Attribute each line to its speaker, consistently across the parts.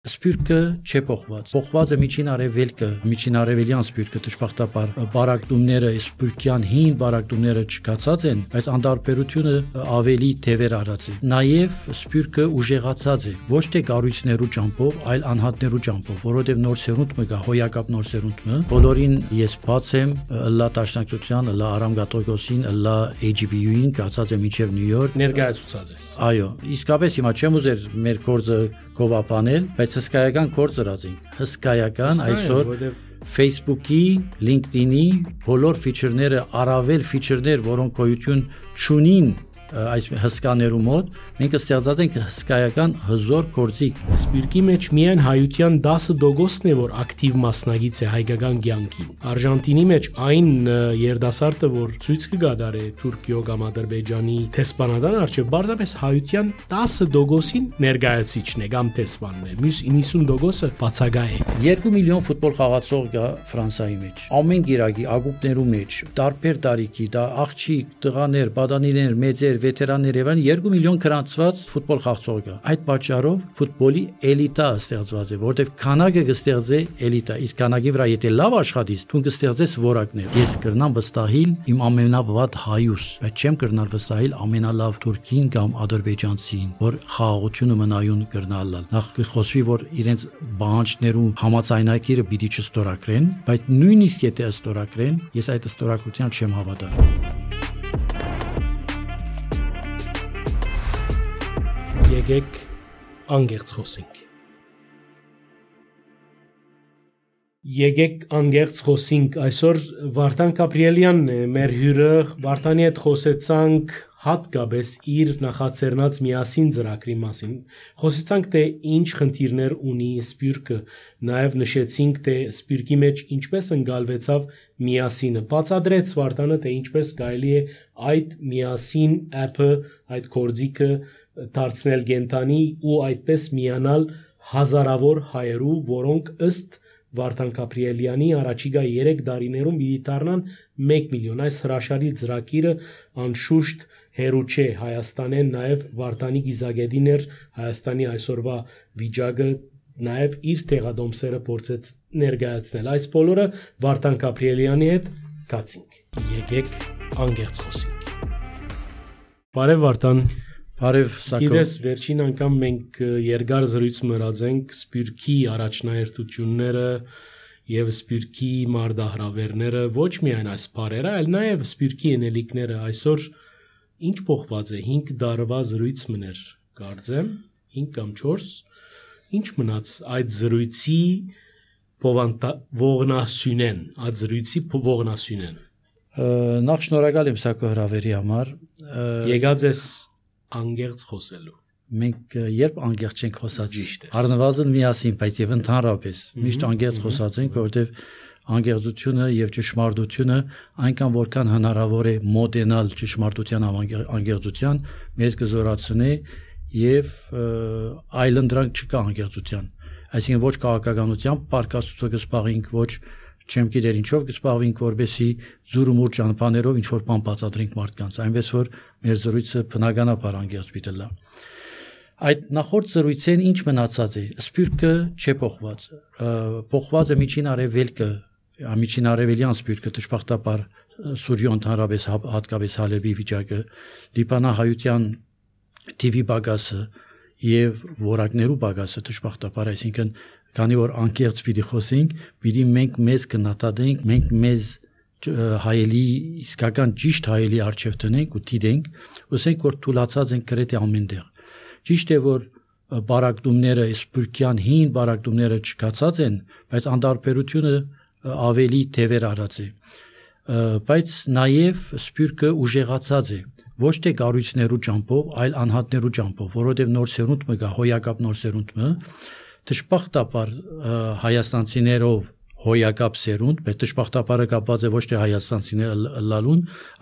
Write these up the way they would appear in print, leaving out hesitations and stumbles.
Speaker 1: Սպյուրքը չէ փոխված։ Փոխված է միջին արևելքը, միջին արևելյան սպյուրքը դժբախտաբար բարակտումները, սպյուրքյան հին բարակտումները չկացած են, բայց անդարբերությունը ավելի թևեր արած է։ Նաև սպյուրքը ուժեղացած է, ոչ թե կառույցներու ճամփով, այլ անհատներու ճամփով, որովհետև նոր սերունդ մը գա, հոյակապ նոր սերունդ մը։ Բոլորին ես բաց եմ, լա Տաշնակցության, լա Արամ Գաթողոսին, լա AGBU-ին կացած է միջև Նյու Յորք
Speaker 2: ներկայացուցած ես։
Speaker 1: Այո, իսկապես հիմա չեմ ուզեր մեր կորձը կովապանել, բայց հսկայական կորձ ըրածին։ Հսկայական այսօր Facebook-ի, LinkedIn-ի բոլոր ֆիչերները, առավել ֆիչերներ, որոնք գոյություն չունին այս հսկաներու մոտ, մենք ստեղծած ենք հսկայական հզոր գործիք։
Speaker 2: Սպյուրքի մեջ միայն հայության 10% է, որ ակտիվ մասնագիծ է հայկական կյանքին։ Արժանտինի մեջ այն երդասարտը, որ ցույց կգադարե Թուրքիո կամ Ադրբեջանի տեսփանադան արժե բարձրապես հայության 10%-ին ներկայացիչն է կամ տեսփանն է։ Մյուս 90%-ը բացակա է։
Speaker 1: 2 միլիոն ֆուտբոլ խաղացող կա Ֆրանսիայի մեջ։ Ամեն գիրակի ագուպներու մեջ, տարբեր տարիքի, դա աղջիկ, տղաներ, բադանիներ, մեծեր, վետերաններ եւ 2 միլիոն գրանցված ֆուտբոլ խաղացող կա։ Այդ պատճառով ֆուտբոլի էլիտա ստեղծված է, որտեղ քանակը կստեղծե էլիտա, իսկ քանակի վրա եթե լավ աշխատես, դու կստեղծես որակներ։ Ես կրնամ վստահիլ իմ ամենավատ հայուս, բայց չեմ կրնալ վստահիլ ամենալավ թուրքին կամ ադրբեջանցին, որ խաղաղությունը մնայուն կրնալալ։ Նախ խոսվի, որ իրենց բանջներու համաձայնագիրը պիտի չստորագրեն, բայց նույնիսկ եթե ստորագրեն, ես այդ ստորագրության չեմ հավատալ։
Speaker 2: Եկեք անգերց խոսենք։ Եկեք անգերց խոսենք։ Այսօր Վարդան Գաբրիելյանն է մեր հյուրը։ Վարդանի հետ խոսեցանք հատկապես իր նախաձեռնած միասին ծրագրի մասին։ Խոսեցանք թե ինչ խնդիրներ ունի սպյուրքը, նաև նշեցինք թե սպյուրքի մեջ ինչպես ընկալվեցավ միասինը։ Բացատրեց Վարդանը թե ինչպես կարելի է այդ միասին app-ը, այդ գործիքը դարձնել կենտանի ու այդպես միանալ հազարավոր հայերու, որոնք ըստ Վարդան Գաբրիելյանի առաջիկա 3 տարիներում պիտի դառնան 1 միլիոն։ Այս հրաշալի ծրագիրը անշուշտ հերու չէ Հայաստանեն, նաև Վարդանի գիզագետին էր Հայաստանի այսօրվա վիճակը, նաև իր տեղադոմսերը փորձեց ներկայացնել։ Այս բոլորը Վարդան Գաբրիելյանի հետ կացինք։ Եկեք անգերց խոսենք։ Բարև Վարդան։
Speaker 1: Բարև Սակո։
Speaker 2: Գիտես, վերջին անգամ մենք երկար զրույց մրացենք սպյուրքի առաջնահերթությունները եւ սպյուրքի մարդահրավերները, ոչ միայն այս բարերը, այլ նաեւ սպյուրքի ենելիքները։ Այսօր ինչ փոխված է 5 տարվա զրույց մներ, կարծեմ 5 կամ 4։ Ինչ մնաց այդ զրույցի ողնասյունեն, այդ զրույցի ողնասյունեն։
Speaker 1: Նախ շնորհակալ եմ Սակո հրավերի համար։
Speaker 2: Եկած ես անգերց խոսելու։
Speaker 1: Մենք երբ անգերց չենք խոսած, առնվազն միասին, բայց եւ ընդհանրապես միշտ անգերց խոսած ենք, որովհետեւ անգերցությունը եւ ճշմարտությունը այնքան որքան հնարավոր է մոդենալ ճշմարտության անգերցության, մեզ կզորացնի եւ այլընտրանք չկա անգերցության։ Այսինքն ոչ քաղաքականությամբ պարկաստուցը կսպաղենք, ոչ չեմ գիտեր ինչով կսպաղվենք, որբեսի զուրումուր ճանապարհներով ինչ որ բան բացատրենք մարդկանց, այնպես որ մեր զրույցը բնականաբար անգերց պիտի լա։ Այդ նախորդ զրույցեն ինչ մնացած է, սպյուրքը չէ փոխված։ Փոխված է միջին արևելքը, միջին արևելյան սպյուրքը դժբախտաբար Սուրիո ընդհանրապես հատկապես Հալեբի վիճակը, Լիբանանահայության TV բագասը եւ որակներու բագասը դժբախտաբար, այսինքն քանի որ անկեղծ պիտի խոսենք, պիտի մենք մեզ կնատադենք, մենք մեզ հայելի իսկական ճիշտ հայելի արժև տնենք ու դիտենք, ուսենք որ թուլացած են գրեթե ամենտեղ։ Ճիշտ է որ բարակտումները, սպյուրքյան հին բարակտումները չկացած են, բայց անդարբերությունը ավելի թևեր արած է։ Բայց նաև սպյուրքը ուժեղացած է, ոչ թե կառույցներու ճամփով, այլ անհատներու ճամփով, որովհետև նոր սերունդ մը գա, հոյակապ նոր սերունդ մը, դժբախտաբար հայաստանցիներով հոյակապ սերունդ, բայց դժբախտաբարը կապված է ոչ թե հայաստանցիները լալուն,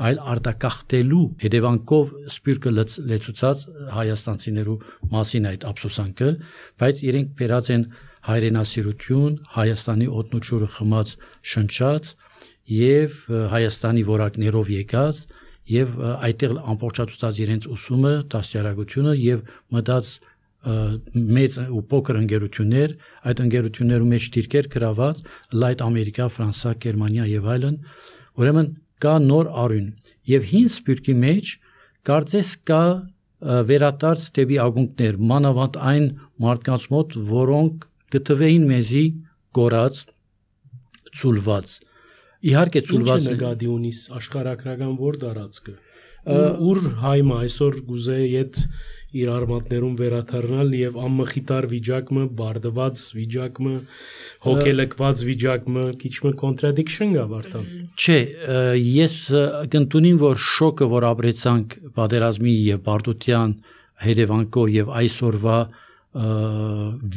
Speaker 1: այլ արտակախտելու հետևանքով սպյուրքը լեցուցած հայաստանցիներու մասին այդ ափսոսանքը, բայց իրենք բերած են հայրենասիրություն, Հայաստանի օդնուճուրը խմած շնչած եւ Հայաստանի որակներով եկած եւ այդտեղ ամբողջացած իրենց ուսումը, դաստիարակությունը եւ մտած մեծ ու փոքր ընկերություններ, այդ ընկերություններու մեջ դիրքեր գրաված, լայտ Ամերիկա, Ֆրանսա, Գերմանիա եւ այլն, ուրեմն կա նոր արյուն եւ հին սպիրկի մեջ կարծես կա վերադարձ դեպի ակունքներ, մանավանդ այն մարդկանց մոտ, որոնք գտվեին մեզի գորած, ցուլված։ Իհարկե ցուլված
Speaker 2: Ինչ նկատի ունիս աշխարհակրական որ դարածքը ուր հայմը այսօր գուզե իդ իր արմատներում վերաթարնալ եւ ամմխիտար վիճակը, բարդված վիճակը, հոգելակված վիճակը, քիչմը contradiction գա վարտան։
Speaker 1: Չէ, ես կընտունիմ, որ շոկը, որ ապրեցանք պատերազմի եւ բարդության հետևանքով եւ այսօրվա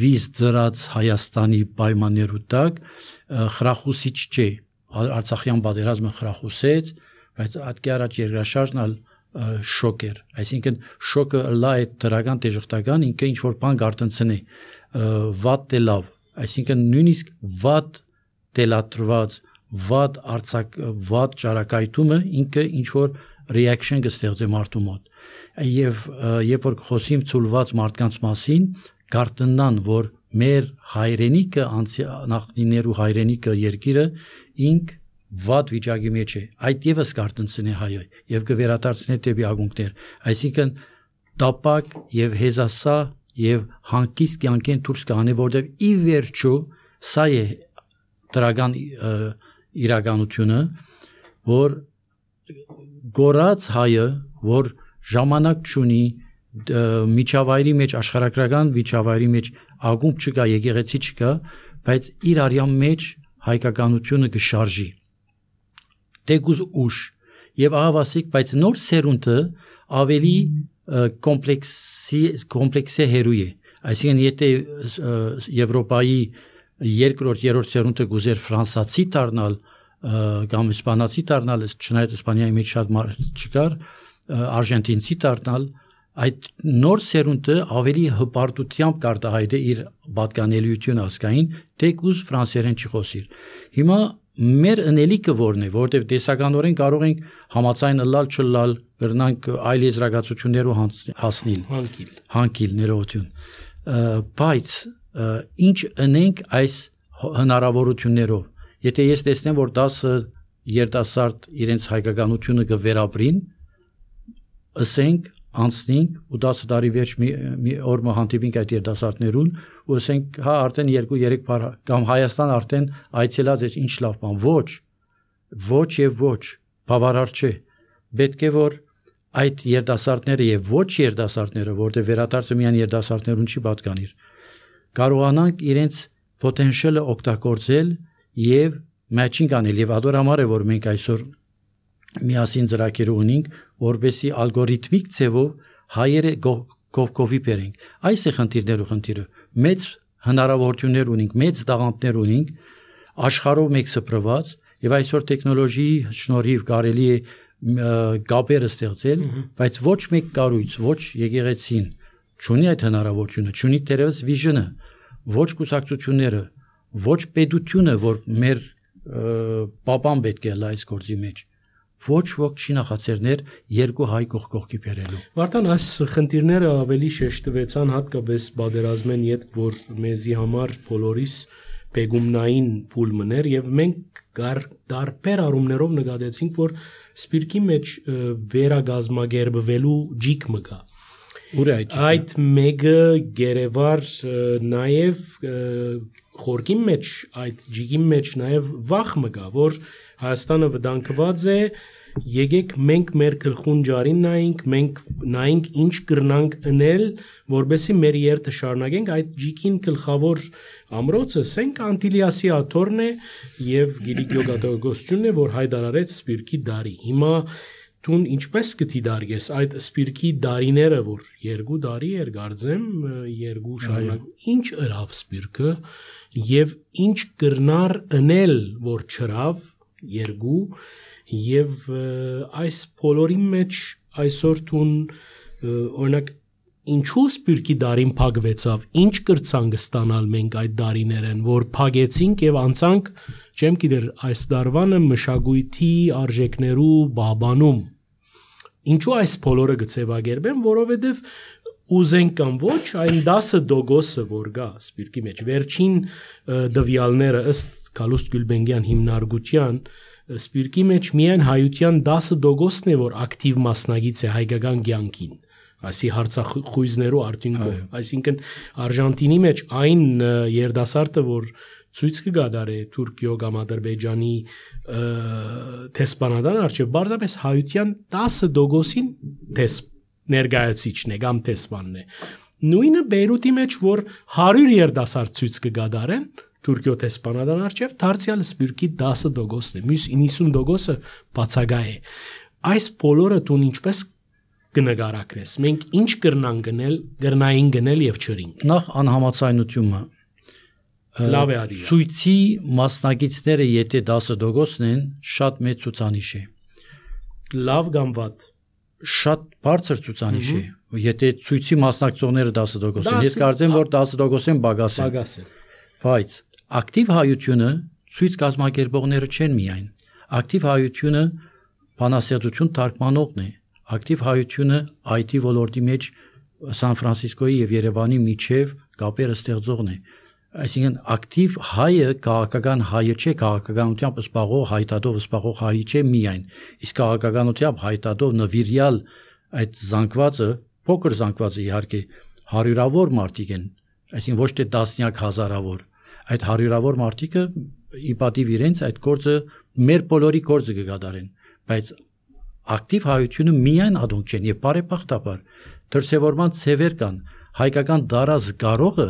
Speaker 1: վիզ ծրած Հայաստանի պայմաններու տակ խրախուսիչ չէ։ Արցախյան պատերազմը խրախուսեց, բայց ատկի առաջ երկրաշարժն շոկ էր, այսինքն շոկը լա է դրական դժգտական ինքը ինչ որ բան գարտնցնի վատ դե լավ, այսինքն նույնիսկ վատ դելատրված վատ արցակ վատ ճարակայթումը ինքը ինչ որ reaction կստեղծի մարդու մոտ եւ երբ որ խոսիմ ցուլված մարդկանց մասին գարտնան որ մեր հայրենիքը նախնիներու հայրենիքը երկիրը ինք վատ վիճակի մեջ է, այդ եւս կարտնցնի հայը եւ կվերադարձնի դեպի ակունքներ, այսինքն տապակ եւ հեզասա եւ հանկիստ կյանքեն դուրս կանի, որտեւ ի վերջո սա է դրական իրականությունը, որ գորած հայը, որ ժամանակ չունի միջավայրի մեջ աշխարհակրական միջավայրի մեջ ակումբ չկա, եկեղեցի չկա, բայց իր արյան մեջ հայկականությունը կշարժի դեգուզ ուշ եւ ահավասիկ, բայց նոր սերունդը ավելի կոմպլեքսի հերույ է, այսինքն եթե Եվրոպայի երկրորդ, երրորդ սերունդը գուզեր ֆրանսացի դառնալ կամ իսպանացի դառնալ, չնայած Իսպանիայի մեջ շատ մարդ չկար, արժենտինցի դառնալ, այդ նոր սերունդը ավելի հպարտությամբ կարտահայտե իր պատկանելիությունը ասկային, դեգուզ ֆրանսերեն չխոսիր։ Հիմա մեր ընելիքը որն է, որտեղ տեսականորեն կարող ենք համացայն լալ չլալ, գրնանք այլ եզրակացություններով հասնել, հանկիլ ներողություն, բայց ինչ ընենք այս հնարավորություններով, եթե ես տեսնեմ, որ 10 երիտասարդ իրենց հայկականությունը կվերապրին, ասենք անցնենք ու 10 տարի վերջ մի օր հանդիպենք այդ երիտասարդներուն ու ասենք հա արդեն 2-3 բար կամ Հայաստան արդեն այցելած է ինչ լավ բան, ոչ եւ ոչ, բավարար չէ, պետք է որ այդ երիտասարդները եւ ոչ երիտասարդները, որտեղ վերադարձը միայն երիտասարդներուն չի պատկանիր, կարողանանք իրենց potential-ը օգտագործել եւ matching անել եւ ադոր համար է որ մենք այսօր միասին ծրագիր ունենք, որպեսզի ալգորիթմիկ ձևով հայերը կողքովի բերենք։ Այս է խնդիրը։ Մեծ հնարավորություններ ունենք, մեծ տաղանդներ ունենք, աշխարհով մեկ սփռված, եւ այսօր տեխնոլոգիի շնորհիվ կարելի է գաբերը ստեղծել, բայց ոչ մեկ կառույց, ոչ եկեղեցին չունի այդ հնարավորությունը, չունի դերևս վիժնը, ոչ կուսակցությունները, ոչ պետությունը, որ մեր պապան պետք է լա այս գործի մեջ։ Ոչ ոք չի նախաձեռներ երկու հայ կողքի բերելու։
Speaker 2: Վարտան, այս խնդիրները ավելի շեշտվեցան հատկապես պատերազմեն յետ, որ մեզի համար բոլորիս բեգումնային փուլմներ եւ մենք դարբեր առումներով նկատեցինք, որ սպիրկի մեջ վերագազմագերբվելու ջիկ մկա։ Այդ մեկը գերեվար նաեւ խորքի մեջ այդ ջիգի մեջ նաեւ վախ մկա, որ Հայաստանը վտանգված է, եկեք մենք մեր գլխուն ջարին նայենք ինչ կրնանք ընել, որբեսի մեր երթը շարունակենք, այդ ջիկին գլխավոր ամրոցը Սենք Անտիլիասի աթոռն է եւ Գիլիգիո Գատագոսությունն է, որ հայտարարեց սպիրկի դարի։ Հիմա Տուն ինչպես կտի դարգես այդ սպիրկի դարիները, որ 2 դարի էր գարձեմ, 2 շարունակ, ինչ ըրավ սպիրկը եւ ինչ կրնար ընել, որ չրավ 2 եւ այս բոլորի մեջ այսօր տուն օրինակ ինչու սպիրկի դարին փակվեցավ, ինչ կրցանք ստանալ մենք այդ դարիներեն, որ փակեցինք եւ անցանք, չեմ գիտեր այս դարվանը մշակույթի արժեքներու բաբանում Ինչու այս բոլորը գծեվագերբեմ, որովհետև ուզենք կամ ոչ, այն 10% որ գա սպիրկի մեջ վերջին դվյալները ըստ Գալուստ Գյուլբենգյան հիմնարկության սպիրկի մեջ միայն հայության 10%-ն է որ ակտիվ մասնագիծ է հայկական կյանքին այսի հարցախույզներու արդյունքով այսինքն Արժանտինի մեջ այն երդասարտը որ ցույց կգադարի Թուրքիո կամ Ադրբեջանի տեսփանադան արչև բարձրապես հայության 10%-ին ներկայացիչն է կամ տեսփանն է նույնը Բեյրութի մեջ որ 100 երդասարտ ցույց կգադարեն Թուրքիո տեսփանադան արչև դարձյալ սպիրկի 10%-ն է մյուս 90%-ը բացակա է այս բոլորը տուն ինչպես կնկարագրես մենք ինչ կրնային գնել եւ չրինք
Speaker 1: նախ անհամաձայնությունը
Speaker 2: լավ է արի
Speaker 1: ցույցի մասնագետները եթե 10%-ն են շատ մեծ ցուցանիշ է
Speaker 2: լավ կամ վատ
Speaker 1: շատ բարձր ցուցանիշ է եթե ցույցի մասնակցողները 10% են ես կարծեմ որ 10% են բագաս են բայց ակտիվ հայությունը ցույց կազմակերպողները չեն միայն ակտիվ հայությունը բանասերություն թարգմանողն է ակտիվ հայությունը IT ոլորտի մեջ Սան Ֆրանցիսկոյի եւ Երևանի միջև կապերը ստեղծողն է այսինքն ակտիվ հայը քաղաքական հայը չէ քաղաքականությամբ սպաղող հայտարարով սպաղող հայը չէ միայն իսկ քաղաքականությամբ հայտարարով նվիրյալ այդ զանգվածը փոքր զանգվածը իհարկե հարյուրավոր մարդիկ են այսինքն ոչ թե տասնյակ հազարավոր այդ հարյուրավոր մարդիկը ի պատիվ իրենց այդ գործը մեր բոլորի գործը կգադարեն բայց ակտիվ հայությունը միայն ադոնք չեն եւ բարեբախտաբար դրսեւորման ցևեր կան հայկական դարազ գարողը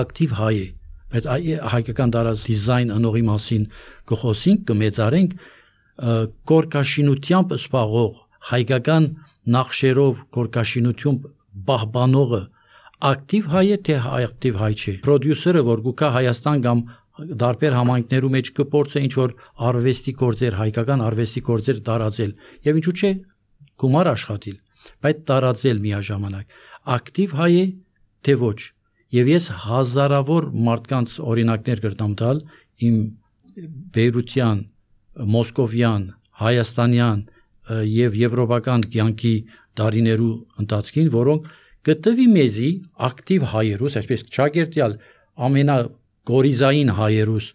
Speaker 1: ակտիվ հայ է բայց հայկական դարազ դիզայն անողի մասին գխոսենք կմեծարենք կորկաշինությամբ սպաղող հայկական նախշերով կորկաշինությամբ բահբանողը ակտիվ հայ է թե ակտիվ հայ չէ պրոդյուսերը որ գուկա Հայաստան կամ դարբեր համայնքներու մեջ կփորձը ինչ որ արվեստի գործեր հայկական արվեստի գործեր տարածել եւ ինչու՞ չէ գումար աշխատել բայց տարածել միաժամանակ ակտիվ հայ է թե ոչ եւ ես հազարավոր մարդկանց օրինակներ կրտամ տալ իմ բեյրության մոսկովյան հայաստանյան եւ եվրոպական կյանքի դարիներու ընթացքին որոնք գտվի մեզի ակտիվ հայերուս այսպես ճագերտյալ ամենա գորիզային հայերուս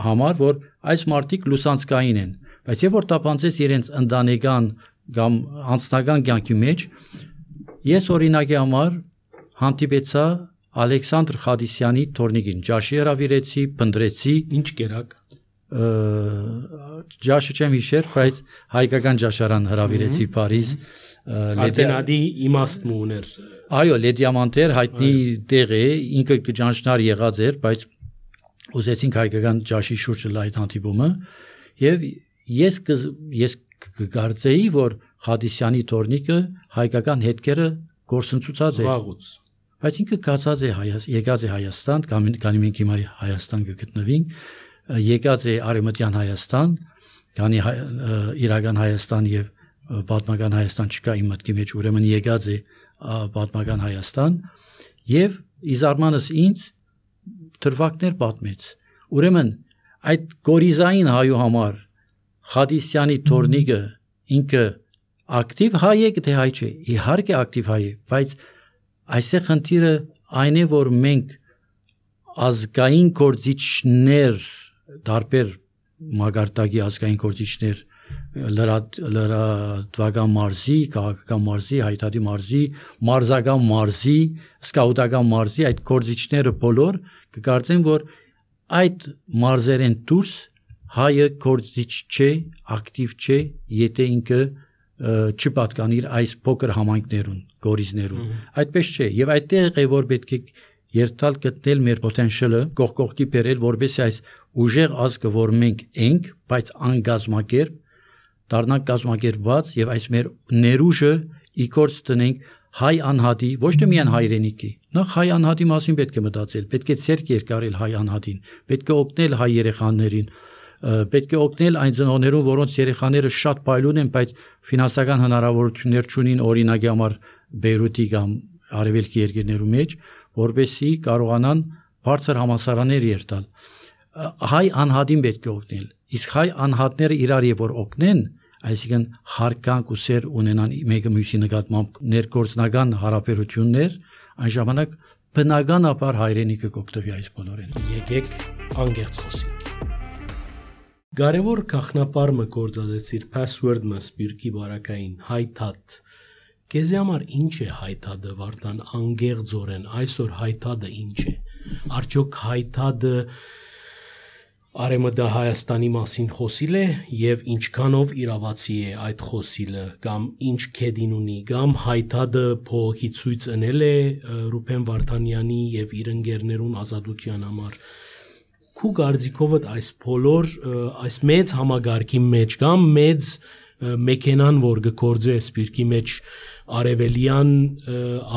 Speaker 1: համար որ այս մարդիկ լուսանցկային են բայց եւ որ տապանցես իրենց ընտանեկան կամ անձնական կյանքի մեջ ես օրինակի համար հանդիպեցա Ալեքսանդր Խադիսյանի թորնիկին ջաշի հրավիրեցի փնդրեցի
Speaker 2: ինչ կերակ
Speaker 1: ջաշը չեմ հիշեր բայց հայկական ջաշարան հրավիրեցի Փարիզ
Speaker 2: Արտենադի իմաստն ուներ
Speaker 1: այո լեդիամանտեր հայտնի տեղ է ինքը կճանչնար եղած էր բայց ուզեցինք հայկական ջաշի շուրջը լայ հանդիպումը եւ ես կգարձեի որ Խադիսյանի թորնիկը հայկական հետքերը գործընծուցած է
Speaker 2: վաղուց
Speaker 1: բայց ինքը կացած է եկած է Հայաստան քանի մենք հիմա Հայաստան կգտնվենք եկած է Արևմտյան Հայաստան քանի իրական Հայաստան եւ պատմական Հայաստան չկա իմ մտքի մեջ ուրեմն եկած է պատմական Հայաստան եւ իզարմանս ինձ դրվագներ պատմեց ուրեմն այդ գորիզային հայու համար Խադիսյանի թորնիկը ինքը ակտիվ հայ է թե հայ չէ իհարկե ակտիվ հայ է բայց այսեղ խնդիրը այն է որ մենք ազգային գործիչներ դարբեր մագարտակի ազգային գործիչներ լրատվական մարզի, քաղաքական մարզի, հայտարարի մարզի, մարզական մարզի, սկաուտական մարզի այդ գործիչները բոլոր կկարծեն որ այդ մարզերեն դուրս հայը գործիչ չէ, ակտիվ չէ, եթե ինքը չպատկանիր այս փոքր համայնքներուն, գորիզներուն։ Այդպես չէ, եւ այդտեղ է որ պետք է երթալ գտնել մեր պոտենցիալը, կողքի բերել, որովհետեւ այս ուժեղ ազգը, որ մենք ենք, բայց անգազմակերպ, դառնանք կազմակերպված եւ այս մեր ներուժը իգործ տնենք հայ անհատի, ոչ թե միայն հայրենիքի, նախ հայ անհատի մասին պետք է մտածել, պետք է ցերկ երկարել հայ անհատին, պետք է օգնել հայ երեխաներին, պետք է օգնել այն ծնողներուն, որոնց երեխաները շատ փայլուն են, բայց ֆինանսական հնարավորություններ չունին օրինակի համար Բեյրութի կամ արևելքի երկրներու մեջ, որովհետեւ կարողանան բարձր համալսարաններ երթալ։ Հայ անհատին պետք է օգնել, իսկ հայ անհատները իրար եւ որ օգնեն, այսինքն հարկանք ու սեր ունենան մեկը մյուսի նկատմամբ ներգործնական հարաբերություններ, այն ժամանակ բնականաբար հայրենիքը կօգտվի այս բոլորին։
Speaker 2: Եկեք անգերց խոսենք։ Կարևոր գաղտնապարը գործածեցիր password-ը սպիրկի բարակային հայթադ։ Քեզ համար ինչ է հայթադը Վարդան անգեղձորեն այսօր հայթադը ինչ է։ Արդյոք հայթադը Արեմդա Հայաստանի մասին խոսիլ է եւ ինչքանով իրավացի է այդ խոսիլը կամ ինչ քեդին ունի կամ հայթադը փողոքի ցույց ընել է Ռուբեն Վարդանյանի եւ իր ընկերներուն ազատության համար։ Քու գարձիկովդ այս բոլոր այս մեծ համագարկի մեջ կամ մեծ մեքենան որ գործե սպիրկի մեջ արևելյան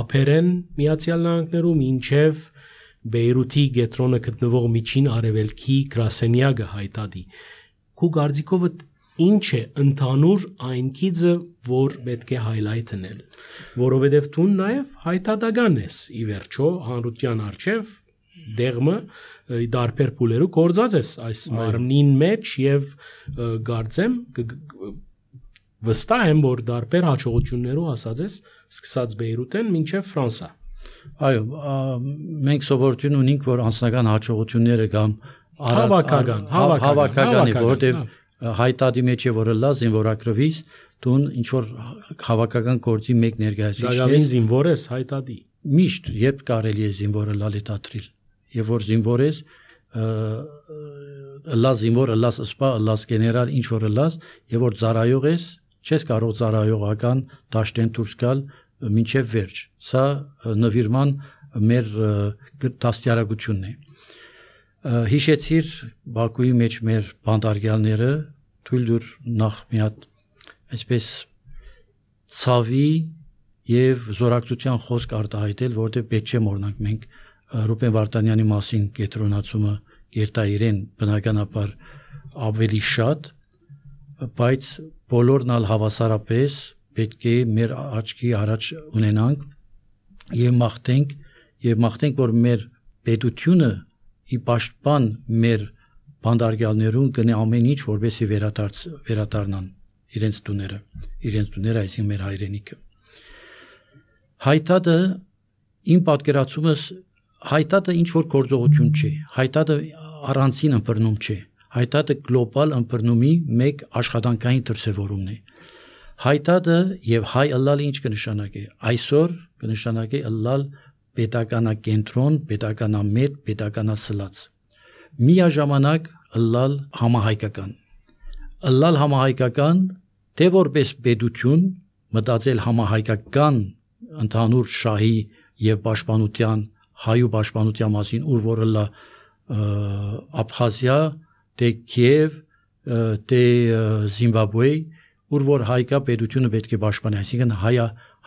Speaker 2: ափերեն Միացյալ Նահանգներում ինչև Բեյրութի գետրոնը գտնվող միջին արևելքի գրասենյակը հայտադի քու գարձիկովդ ինչ է ընդհանուր այն քիզը որ պետք է highlight անել որովհետև դու նաև հայտադական ես ի վերջո հանրության արչև դեղմը դարբեր փուլերու կորձած ես այս մարմնին մեջ եւ գարձեմ վստահ եմ որ դարբեր հաջողություններով ասած ես սկսած Բեյրութեն մինչեւ Ֆրանսա
Speaker 1: այո մենք սովորություն ունենք որ անձնական հաջողությունները կամ հավաքականի որտեղ հայտադի մեջ է որը լա զինվորակրվից դու ինչ որ հավաքական գործի մեկ ներկայացուցիչ
Speaker 2: ես զինվոր ես հայտադի
Speaker 1: միշտ երբ կարելի է զինվորը լալետատրիլ եւ որ զինվոր ես լա զինվոր լաս սպա լաս գեներալ ինչ որ լաս եւ որ ծառայող ես չես կարող ծառայողական դաշտեն դուրս գալ մինչև վերջ սա նվիրման մեր դաստիարակությունն է հիշեցիր Բաքուի մեջ մեր բանդարգյալները թույլ դուր նախ մի հատ այսպես ցավի եւ զորակցության խոսք արտահայտել որտեղ պետք չէ մոռանանք մենք Ռուբեն Վարդանյանի մասին կետրոնացումը երթա իրեն բնականաբար ավելի շատ բայց բոլորն ալ հավասարապես պետք է մեր աչքի առաջ ունենանք եւ մաղթենք որ մեր պետությունը ի պաշտպան մեր բանդարգյալներուն կնե ամեն ինչ որովհետեւ վերադառնան իրենց տուները այսինքն մեր հայրենիքը հայտադը իմ պատկերացումս հայտադը ինչ որ գործողություն չէ հայտադը առանցին ըմբռնում չէ հայտադը գլոբալ ըմբռնումի մեկ աշխատանքային դրսևորումն է հայտադը եւ հայ ըլլալը ինչ կնշանակի այսօր կնշանակի ըլլալ պետականակենտրոն պետականամետ պետականասլաց միաժամանակ ըլլալ համահայկական թե որպես պետություն մտածել համահայկական ընդհանուր շահի եւ պաշտպանության հայու պաշտպանության մասին ուր որ լա Աբխազիա թե Կիև թե Զիմբաբվե ուր որ հայկա պետությունը պետք է պաշտպանի այսինքն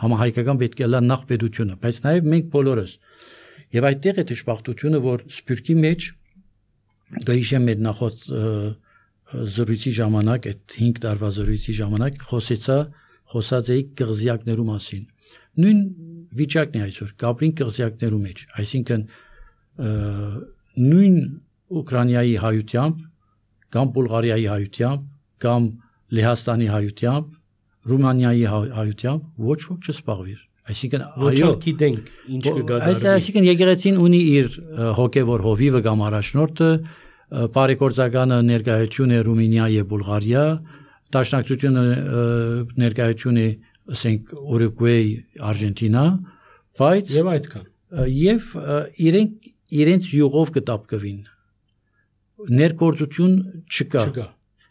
Speaker 1: համահայկական պետք է լա նախ պետությունը բայց նաև մենք բոլորս եւ այդտեղ է դժբախտությունը որ սպյուրքի մեջ գայիշեմ մեր նախոտ զրույցի ժամանակ այդ 5 տարվա զրույցի ժամանակ խոսած էի կղզիակներու մասին նույն վիճակն է այսօր Գաբրին կղզիակներու մեջ այսինքն նույն Ուկրաինայի հայությամբ կամ Բուլղարիայի հայությամբ կամ Լեհաստանի հայությամբ Ռումանիայի հայությամբ ոչ ոք չսպաղվիր այսինքն
Speaker 2: այո գիտենք ինչ կգադարվի
Speaker 1: այսինքն եկեղեցին ունի իր հոգևոր հովիվը կամ առաջնորդը բարեգործականը ներկայություն է Ռումինիա եւ Բուլղարիա դաշնակցությունը ներկայություն է ասենք Ուրուգվայ, Արժենտինա, բայց
Speaker 2: եւ այդքան
Speaker 1: եւ իրենց յուղով կտապկվին ներգործություն չկա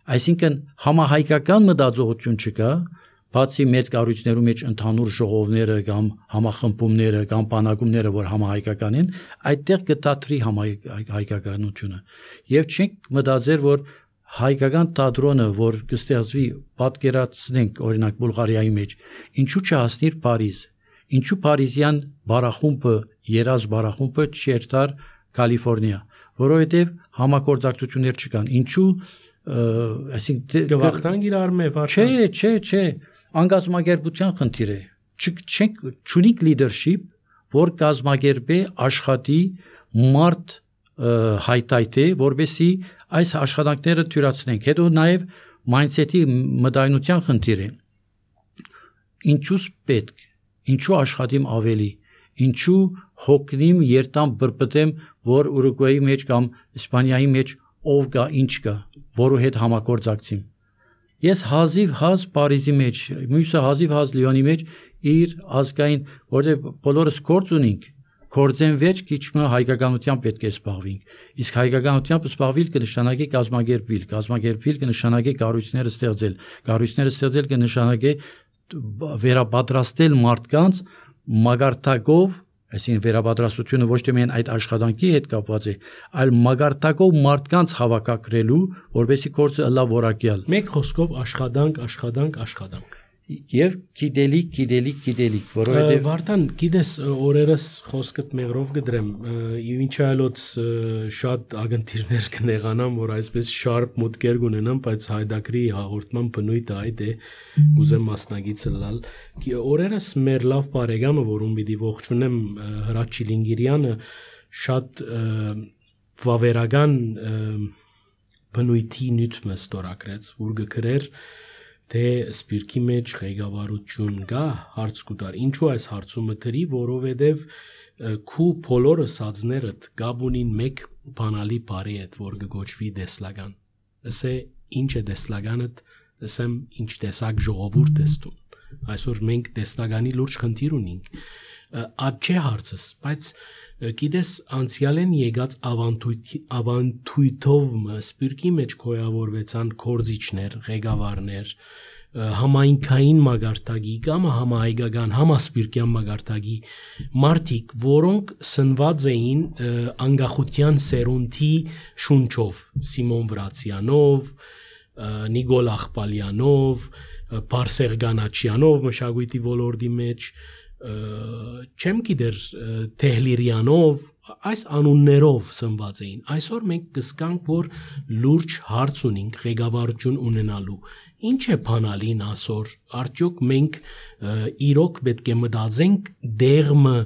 Speaker 1: այսինքն համահայկական մտածողություն չկա բացի մեծ կառույցներու մեջ ընդհանուր ժողովները կամ համախմբումները կամ բանակումները որ համահայկական են այդտեղ կտատրի համահայկականությունը եւ չենք մտածեր որ հայկական թատրոնը որ կստեղծվի պատկերացնենք օրինակ Բուլղարիայի մեջ ինչու չհասնիր Փարիզ ինչու Փարիզյան բարախումբը երազ բարախումբը չերտար Կալիֆոռնիա որովհետեւ համագործակցություններ չկան ինչու այսինքն
Speaker 2: գվախտան իրար մեծ
Speaker 1: չէ անգազմագերբության խնդիր է չունիկ լիդերշիփ որ կազմակերպե աշխատի մարդ հայտայտե որբեսի այս աշխատանքները թյուրացնենք հետո նաև mindset-ի մտայնության խնդիր է։ Ինչու՞ս պետք, ինչու աշխատիմ ավելի, ինչու հոգնիմ երտամ բրբտեմ, որ Ուրուգվայի մեջ կամ Իսպանիայի մեջ ով կա, ինչ կա, որու հետ համագործակցիմ։ Ես հազիվ հազ Փարիզի մեջ, մյուսը հազիվ հազ Լիոնի մեջ իր ազգային, որտեղ բոլորս գործ ունենք, գործեն վեճ քիչմը հայկականությամբ պետք է զբաղվենք։ Իսկ հայկականությամբ զբաղվել կնշանակի կազմակերպվել կնշանակի կառույցները ստեղծել, կառույցները ստեղծել կնշանակի վերապատրաստել մարդկանց մագարտակով, այսինքն վերապատրաստությունը ոչ թե միայն այդ աշխատանքի հետ կապված է, այլ մագարտակով մարդկանց հավաքագրելու, որովհետեւ գործը լավ որակյալ։
Speaker 2: Մեկ խոսքով աշխատանք։
Speaker 1: Եվ գիտելիք, որովհետև
Speaker 2: Վարդան, գիտես, օրերս խոսքդ մեղրով գդրեմ, ինչ այլոց շատ ագընտիրներ կնեղանամ, որ այսպես շարպ մուտքեր կունենամ, բայց հայդակրի հաղորդման բնույթը այդ է, կուզեմ մասնագիծը լալ։ Օրերս մեր լավ բարեկամը, որում պիտի ողջունեմ, Հրաչ Չիլինգիրյանը, շատ վավերական բնույթի նյութ ստորագրեց, որ գկրեր թե սպիրկի մեջ ղեկավարություն կա հարց կուտար ինչու այս հարցումը դրի որովհետև քու բոլոր սածներդ գաբունին մեկ բանալի բարի հետ որ գոչվի դեսլագան ասե ինչ է դեսլագանդ ասեմ ինչ տեսակ ժողովուրդ ես դու այսօր մենք դեսլագանի լուրջ խնդիր ունենք աճ չէ հարցս բայց գիտես անցյալեն եկած ավանդույթով սպիրկի մեջ կոյավորվեցան կորզիչներ, ղեկավարներ, համայնքային մագարտակի կամ համահայկական համասպիրկյան մագարտակի մարդիկ, որոնք սնված էին անկախության սերունդի շունչով, Սիմոն Վրացյանով, Նիկոլ Աղբալյանով, Բարսեղ Գանաչյանով մշակույթի ոլորտի մեջ չեմ գիտեր Թեհլիրյանով այս անուններով սնված էին այսօր մենք կսկանք որ լուրջ հարց ունենք ղեկավարություն ունենալու ինչ է բանալին այսօր արդյոք մենք իրոք պետք է մտածենք դեղմը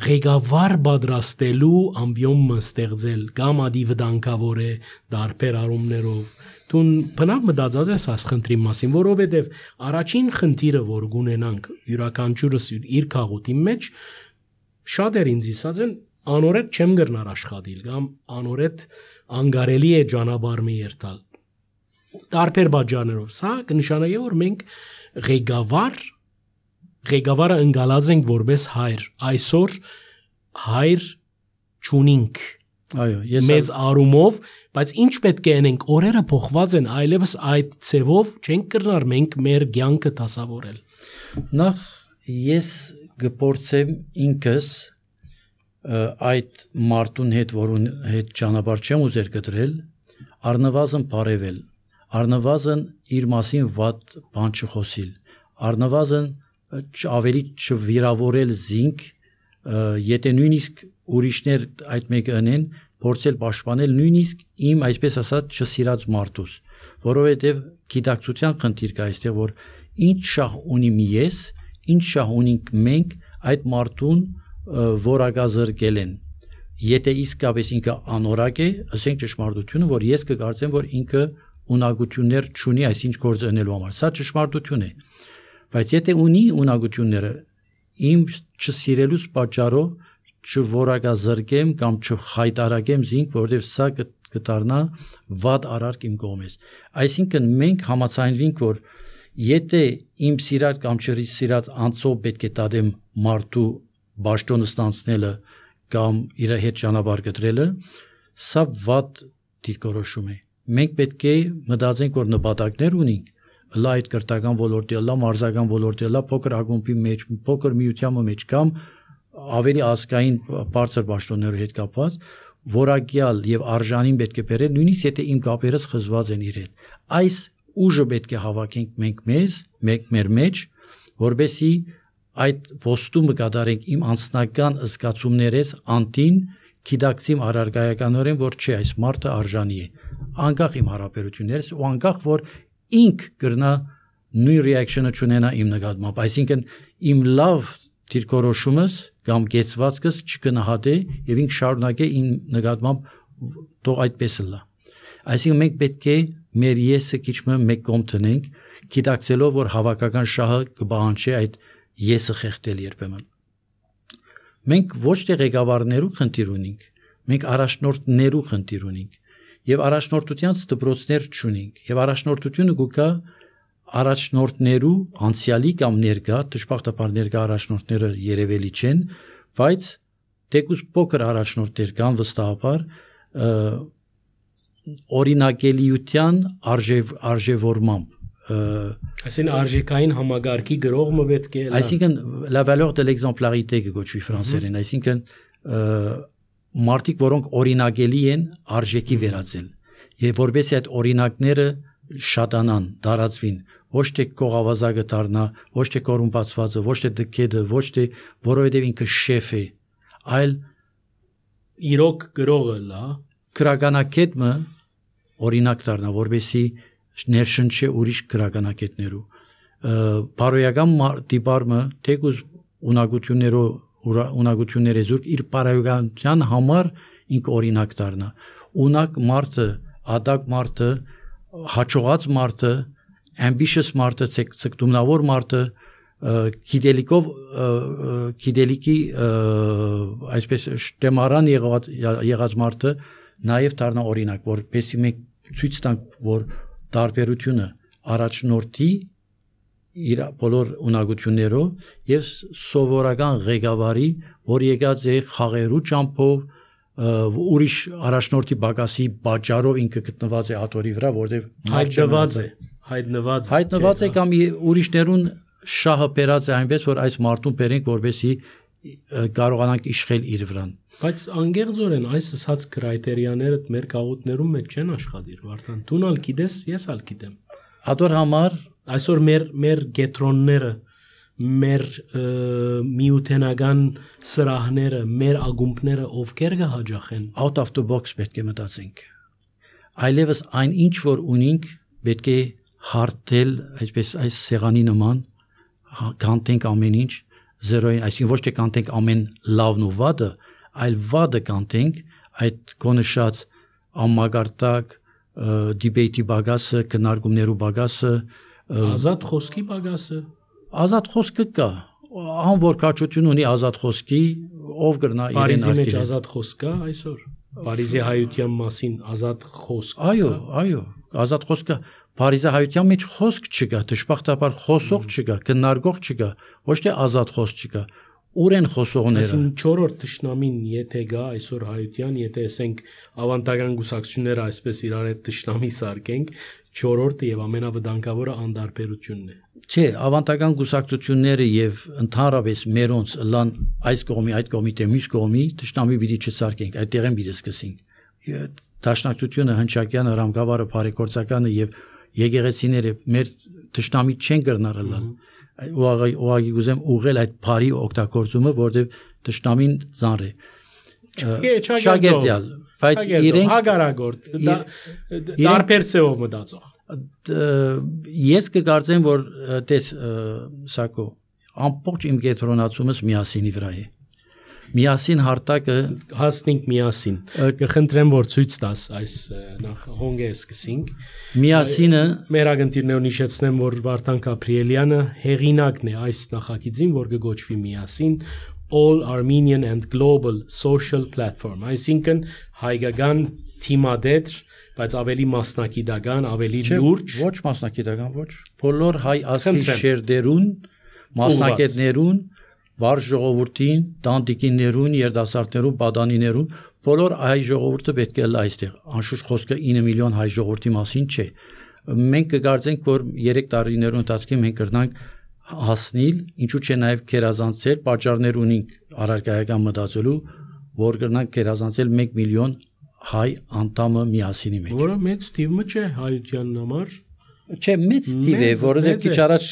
Speaker 2: ղեկավար պատրաստելու ամբիոմը ստեղծել կամ ադիվդանկավոր է դարբեր արումներով Տուն բնավ մտածած ես այս խնդրի մասին, որովհետև առաջին խնդիրը, որ գունենանք յուրաքանչյուրս իր քաղուտի մեջ, շատեր ինձ ասած են անորետ չեմ գրնար աշխատել կամ անորետ անգարելի է ճանապարհը երթալ։ Տարբեր բաժաններով, սա կնշանակի, որ մենք ղեկավարը ընկալած ենք որպես հայր, այսօր հայր չունենք։
Speaker 1: Այո, ես
Speaker 2: մեծ արումով, բայց ինչ պետք է անենք, օրերը փոխված են, այլևս այդ ցևով չենք կրնար մենք մեր ցանկը դասավորել։
Speaker 1: Նախ ես գործեմ ինքս այդ մարդուն հետ, որուն հետ ճանապարհ չեմ ուզեր գտրել, առնվազն բարևել, առնվազն իր մասին վատ բան չխոսիլ, առնվազն ավելի չվիրավորել զինք, եթե նույնիսկ ուրիշներ այդ մեկը անեն, փորձել պաշտպանել նույնիսկ իմ այսպես ասած չսիրած մարդուս, որովհետև գիտակցության խնդիր կա այստեղ, որ ինչ շահ ունիմ ես, ինչ շահ ունենք մենք այդ մարդուն որակազրկել են։ Եթե իսկապես ինքը անորակ է, ասենք ճշմարտությունը, որ ես կկարծեմ, որ ինքը ունակություններ չունի այսինչ գործ անելու համար, սա ճշմարտություն է։ Բայց եթե ունի ունակությունները, իմ չսիրելուց պատճառով չորակազրկեմ կամ չխայտարակեմ զինք, որովհետև սա կդառնա վատ արարք իմ կողմից։ Այսինքն մենք համաձայնվենք, որ եթե իմ սիրած կամ չսիրած անձով պետք է տադեմ մարդու բաշտոնը ստանցնելը կամ իր հետ ճանապարհ գտրելը, սա վատ դիրքորոշում է։ Մենք պետք է մտածենք, որ նպատակներ ունենք, լա այդ կրթական ոլորտի, լա մարզական ոլորտի, լա փոքր ակումբի մեջ, փոքր միության մեջ կամ ավելի ազգային բարձր պաշտոնների հետ կապված, որակյալ եւ արժանին պետք է բերել, նույնիսկ եթե իմ կապերս խզված են իր հետ։ Այս ուժը պետք է հավաքենք մենք մեր մեջ, որբեսի այդ ոստումը կատարենք իմ անձնական զգացումներից անտին գիտակցիմ առարգայականորեն, որ չէ, այս մարդը արժանի է, անկախ իմ հարաբերություններից ու անկախ որ ինք կրնա նույն ռեակցիոնը չունենա իմ նկատմամբ, այսինքն իմ լավ դիրքորոշումս կամ գեցվածքս չկնահատե եւ ինք շարունակե իմ նկատմամբ թող այդպես լա։ Այսինքն մենք պետք է մեր եսը քիչմը մեկ կողմ տնենք, գիտակցելով, որ հավաքական շահը կբանջի այդ եսը խեղդել երբեմն։ Մենք ոչ թե ղեկավարներու խնդիր ունենք, մենք առաջնորդներու խնդիր ունենք, եւ առաջնորդության դպրոցներ չունենք, եւ առաջնորդությունը գուկա առաջնորդներու անցյալի կամ ներկա, դժբախտաբար ներկա առաջնորդները երևելի չեն, բայց թեկուզ փոքր առաջնորդներ կան վստահաբար օրինակելիության արժևորմամբ
Speaker 2: այսին արժեքային համագարկի գրողը պետք է
Speaker 1: այսինքն la valeur de l'exemplarité կոչվի ֆրանսերեն, այսինքն մարդիկ, որոնք օրինակելի են արժեքի վերածել եւ որովհետեւ այդ օրինակները շատանան, դարածվին, ոչ թե կողավազակը դառնա, ոչ թե կոռումպացվածը, ոչ թե դկեդը, ոչ թե որովհետեւ ինքը շեֆ է, այլ
Speaker 2: իրոք գրողը լա
Speaker 1: քրագանակետը օրինակ դառնա, որովհետեւ ներշնչի ուրիշ քրագանակետներու բարոյական դիպարմը թեկուզ ունակությունները զուրկ իր բարոյականության համար ինք օրինակ դառնա ունակ մարդը ադակ մարդը հաջողած մարդը ambitious մարդը ցկտումնավոր մարդը գիտելիքի այսպես շտեմարան եղած մարդը նաև դառնա օրինակ որպեսզի մենք ցույց տանք որ տարբերությունը առաջնորդի իր բոլոր ունակություններով եւ սովորական ղեկավարի, որ եկած է խաղերու ճամփով ուրիշ առաջնորդի բագասի բաճարով ինքը գտնված է աթորի վրա, որտեղ հայտնված է կամ ուրիշներուն շահը բերած է այնպես, որ այս մարդուն բերենք, որպեսզի կարողանանք իշխել իր վրան։
Speaker 2: Բայց անգեղձորեն այս ասած քրայտերիաները մեր գաղութներում մեջ չեն աշխատիր, Վարդան։ Դու ալ գիտես, ես ալ գիտեմ։
Speaker 1: Ադոր համար
Speaker 2: այսօր մեր գետրոնները, մեր միութենական սրահները, մեր ագումբները ովքեր կհաջախեն։
Speaker 1: Out of the box պետք է մտածենք։ Այլևս այն ինչ որ ունենք, պետք է հարթել, այսպես այս սեղանի նման, կանտենք ամեն ինչ, զերոյին, այսինքն ոչ թե կանտենք ամեն լավն ու վատը, այլ վատը կանտենք, այդ կոնշած ամմագարտակ, դիբեյտի բագասը, քննարկումներու բագասը,
Speaker 2: ազատ խոսքի բագասը,
Speaker 1: ազատ խոսքը կա, ան որ կաչություն ունի ազատ խոսքի, ով գրնա իրեն
Speaker 2: Փարիզի մեջ ազատ խոսք կա այսօր, Փարիզի հայության մասին ազատ խոսք։
Speaker 1: Այո, ազատ խոսքը Փարիզի հայության մեջ խոսք չկա, դժբախտաբար խոսող չկա, քննարկող չկա, ոչ թե ազատ խոսք չկա։ Ուր են խոսողները։
Speaker 2: Այսինքն 4-րդ թշնամին եթե գա այսօր հայության, եթե ասենք ավանդական գուսակցությունները այսպես իրար հետ թշնամի սարքենք, 4-րդը եւ ամենավտանգավորը անդարբերությունն է։
Speaker 1: Չէ, ավանդական գուսակցությունները եւ ընդհանրապես մերոնց լան այս կողմի, այդ կողմի թե մյուս կողմի թշնամի պիտի չսարքենք, այդտեղեն պիտի սկսենք։ Դաշնակցությունը, հնչակյանը, Ռամգավարը, Փարեգործականը եւ եկեղեցիները մեր թշնամի չեն կրնարել։ Ուղղակի գուզեմ ուղղել այդ բարի օգտագործումը, որտեղ թշնամին ծանր է։ Շագերտյալ, բայց իրենք
Speaker 2: հագարագործ դարբերցեով մտածող։
Speaker 1: Ես կկարծեմ, որ տես Սակո ամբողջ իմ կենտրոնացումս միասինի վրա է։ Միասին հարտակը
Speaker 2: հասնենք միասին։ Կխնդրեմ, որ ցույց տաս այս նախ հոնգը սկսենք։
Speaker 1: Միասինը
Speaker 2: մեր ագնտիրներուն հիշեցնեմ, որ Վարդան Գաբրիելյանը հեղինակն է այս նախագծին, որ կգոչվի միասին All Armenian and Global Social Platform, այսինքն հայկական թիմադետ, բայց ավելի մասնակիտական, ավելի լուրջ,
Speaker 1: ոչ մասնակիտական, ոչ, բոլոր հայ ազգի շերտերուն, մասնակիցներուն, վար ժողովրդին, տանտիկիներուն, երդասարտներուն, պատանիներուն, բոլոր հայ ժողովուրդը պետք է լա այստեղ։ Անշուշտ խոսքը 9 միլիոն հայ ժողովրդի մասին չէ։ Մենք կգործենք, որ 3 տարիներուն ընթացքում մենք կրնանք հասնել, ինչու՞ չէ նաև քերազանցել, պատճառներ ունենք առարկայական մտածելու, որ կրնանք քերազանցել 1 միլիոն հայ անդամը միասինի մեջ։
Speaker 2: Որը մեծ թիվը չէ հայության համար։
Speaker 1: Չէ, մեծ թիվ է, որովհետև քիչ առաջ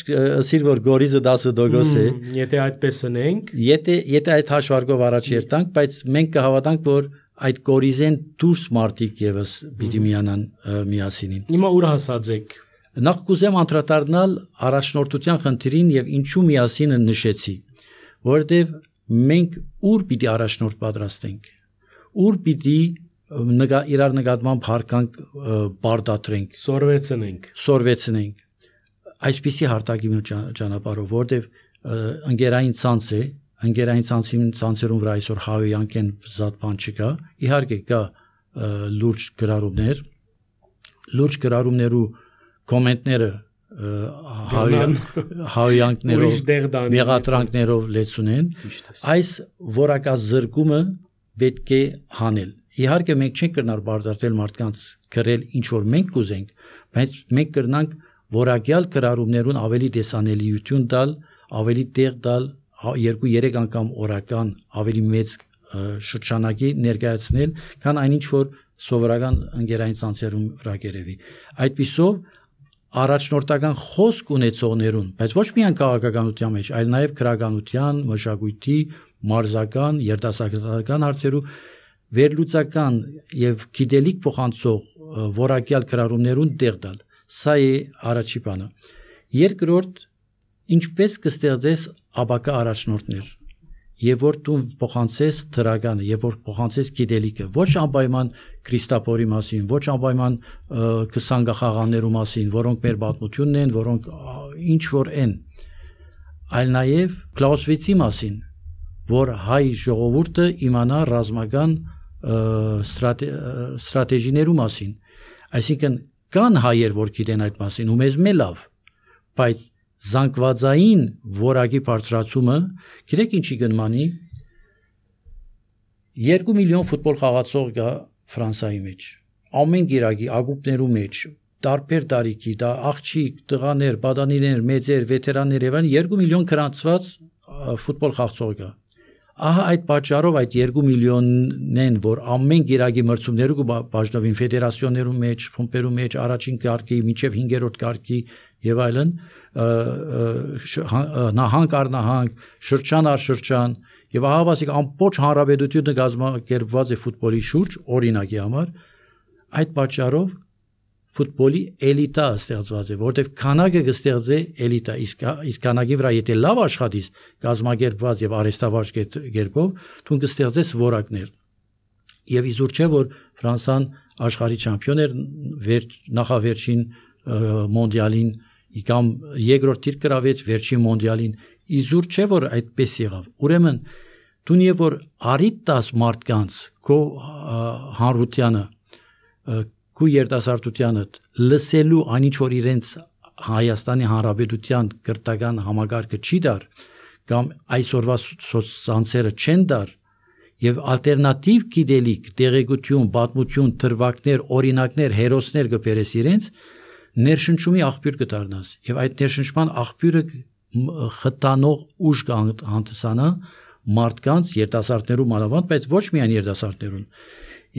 Speaker 1: ասիր որ Գորիզը 10% է։
Speaker 2: Եթե այդպես ունենք,
Speaker 1: եթե այդ հաշվարկով առաջ երթանք, բայց մենք կհավատանք, որ այդ Գորիզեն դուրս մարտիկ եւս պիտի միանան միասինին։
Speaker 2: Հիմա ուր հասած եք։
Speaker 1: Նախ կուզեմ անդրադառնալ առաջնորդության խնդիրին եւ ինչու միասինը նշեցի, որովհետև մենք ուր պիտի առաջնորդ պատրաստենք, ուր պիտի իրար նկատմամբ հարկանք բարդատրենք, սորվեցնենք, այսպիսի հարտակի ճանապարհով, որտեղ ընկերային ցանց է, ընկերային ցանցերում վրա այսօր հավյանք են զատ բան չկա, իհարկե կա լուրջ գրառումներու կոմենտները հավյանքներով, մեղադրանքներով լեցուն են, այս որակազրկումը պետք է հանել։ Իհարկե մենք չենք կրնար բարդացնել մարդկանց գրել ինչ որ մենք կուզենք, բայց մենք կրնանք որակյալ գրառումներուն ավելի տեսանելիություն տալ, ավելի տեղ տալ, 2-3 անգամ օրական ավելի մեծ շրջանակի ներկայացնել, քան այնինչ որ սովորական ընկերային ցանցերում վրա գերեվի։ Այդպիսով առաջնորդական խոսք ունեցողներուն, բայց ոչ միայն քաղաքականության մեջ, այլ նաև քրագանության, մշակույթի, մարզական, երիտասարդական հարցերու վերլուծական եւ գիտելիք փոխանցող որակյալ գրառումներուն տեղ տալ։ Սա է առաջի բանը։ Երկրորդ, ինչպես կստեղծես ապակա առաջնորդներ, եւ որ դու փոխանցես դրականը, եւ որ փոխանցես գիտելիքը, ոչ անպայման Քրիստապորի մասին, ոչ անպայման 20 գախաղաններու մասին, որոնք մեր պատմությունն են, որոնք ինչ որ են, այլ նաեւ Կլաուսվիցի մասին, որ հայ ժողովուրդը իմանա ռազմական ստրատեգիներու մասին, այսինքն կան հայեր, որ գիտեն այդ մասին, ու մեզ լավ, բայց զանգվածային որակի բարձրացումը, գիտեք ինչի գնմանի, 2 միլիոն ֆուտբոլ խաղացող կա Ֆրանսայի մեջ, ամեն գիրակի ակումբներու մեջ, տարբեր տարիքի, դա աղջիկ, տղաներ, պատանիներ, մեծեր, վետերաններ եւ այլն 2 միլիոն գրանցված ֆուտբոլ խաղացող կա։ Ահա այդ պատճառով այդ 2 միլիոնն, որ ամեն գիրակի մրցումներու կբաժնվին ֆեդերացիոներու մեջ, խմբերու մեջ, առաջին կարգի, մինչև 5-րդ կարգի եւ այլն, նահանգ առ նահանգ, շրջան առ շրջան, եւ ահավասիկ ամբողջ հանրապետությունը կազմակերպված է ֆուտբոլի շուրջ, օրինակի համար, այդ պատճառով ֆուտբոլի էլիտա ստեղծված է, որտեղ քանակը կստեղծե էլիտա, իսկ քանակի վրա եթե լավ աշխատես, կազմակերպված եւ արհեստավարժ կերպով, դու կստեղծես որակներ։ Եվ իզուր չէ, որ Ֆրանսան աշխարհի չամպիոն էր նախավերջին մոնդիալին, կամ երկրորդ դիրք գրավեց վերջին մոնդիալին, իզուր չէ, որ այդպես եղավ։ Ուրեմն դու եւ որ արիտ տաս մարդկանց քո հանրությանը, քո երիտասարդությանը լսելու այնինչ որ իրենց Հայաստանի Հանրապետության կրթական համագարկը չի դար, կամ այսօրվա սոցցանցերը չեն դար, եւ ալտերնատիվ գիտելիք, տեղեկություն, պատմություն, դրվագներ, օրինակներ, հերոսներ կբերես իրենց, ներշնչումի աղբյուր կդառնաս, եւ այդ ներշնչման աղբյուրը խտանող ուժ կհանդիսանա մարդկանց, երիտասարդներու մանավանդ, բայց ոչ միայն երիտասարդներուն,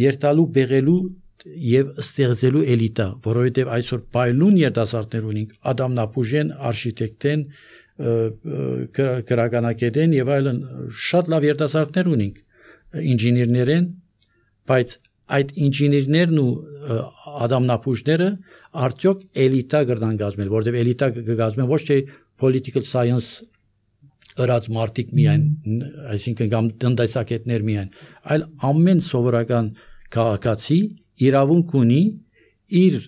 Speaker 1: երթալու, բեղելու եւ ստեղծելու էլիտա, որովհետեւ այսօր պայլուն երիտասարդներ ունենք, ադամնապուժեն, արխիտեկտեն, գրականագետեն եւ այլն, շատ լավ երիտասարդներ ունենք, ինժեներներ են, բայց այդ ինժեներներն ու ադամնապուժները արդյոք էլիտա կգրնան գազմել, որովհետեւ էլիտա կգազմեն ոչ թե political science ըրած մարդիկ միայն, այսինքն կամ տնտեսագետներ միայն, այլ ամեն սովորական քաղաքացի իրավունք ունի իր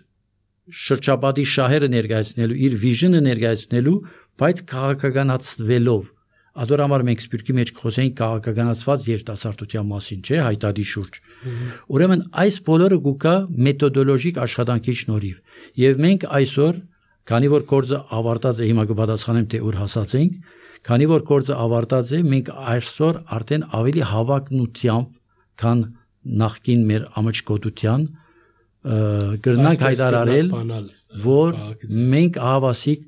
Speaker 1: շրջապատի շահերը ներկայացնելու, իր վիժնը ներկայացնելու, բայց քաղաքականացվելով։ Ադորամար մենք սպիրկի մեջ խոսենք քաղաքականացված երիտասարդության մասին, չէ, հայտարարի շուրջ։ Ուրեմն այս բոլորը գուկա մեթոդոլոգիկ աշխատանքի շնորհիվ։ Եվ մենք այսօր, քանի որ գործը ավարտած է, հիմա կպատասխանեմ թե ուր հասած ենք, քանի որ գործը ավարտած է, մենք այսօր արդեն ավելի հավակնությամբ, քան նախկին մեր ամաչկոտության գրնանք հայտարարել, որ մենք հավասիկ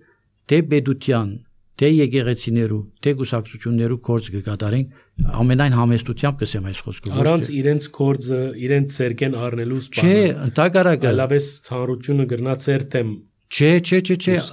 Speaker 1: թե պետության, թե եկեղեցիներու, թե գուսակցություններու գործ կկատարենք, ամենայն համեստությամբ կսեմ այս խոսքը։
Speaker 2: Առանց իրենց գործը, իրենց ցերկեն առնելու սպանը։
Speaker 1: Չէ, ընդհակառակը,
Speaker 2: լավես ցանրությունը գրնա ցերտեմ։
Speaker 1: Չէ,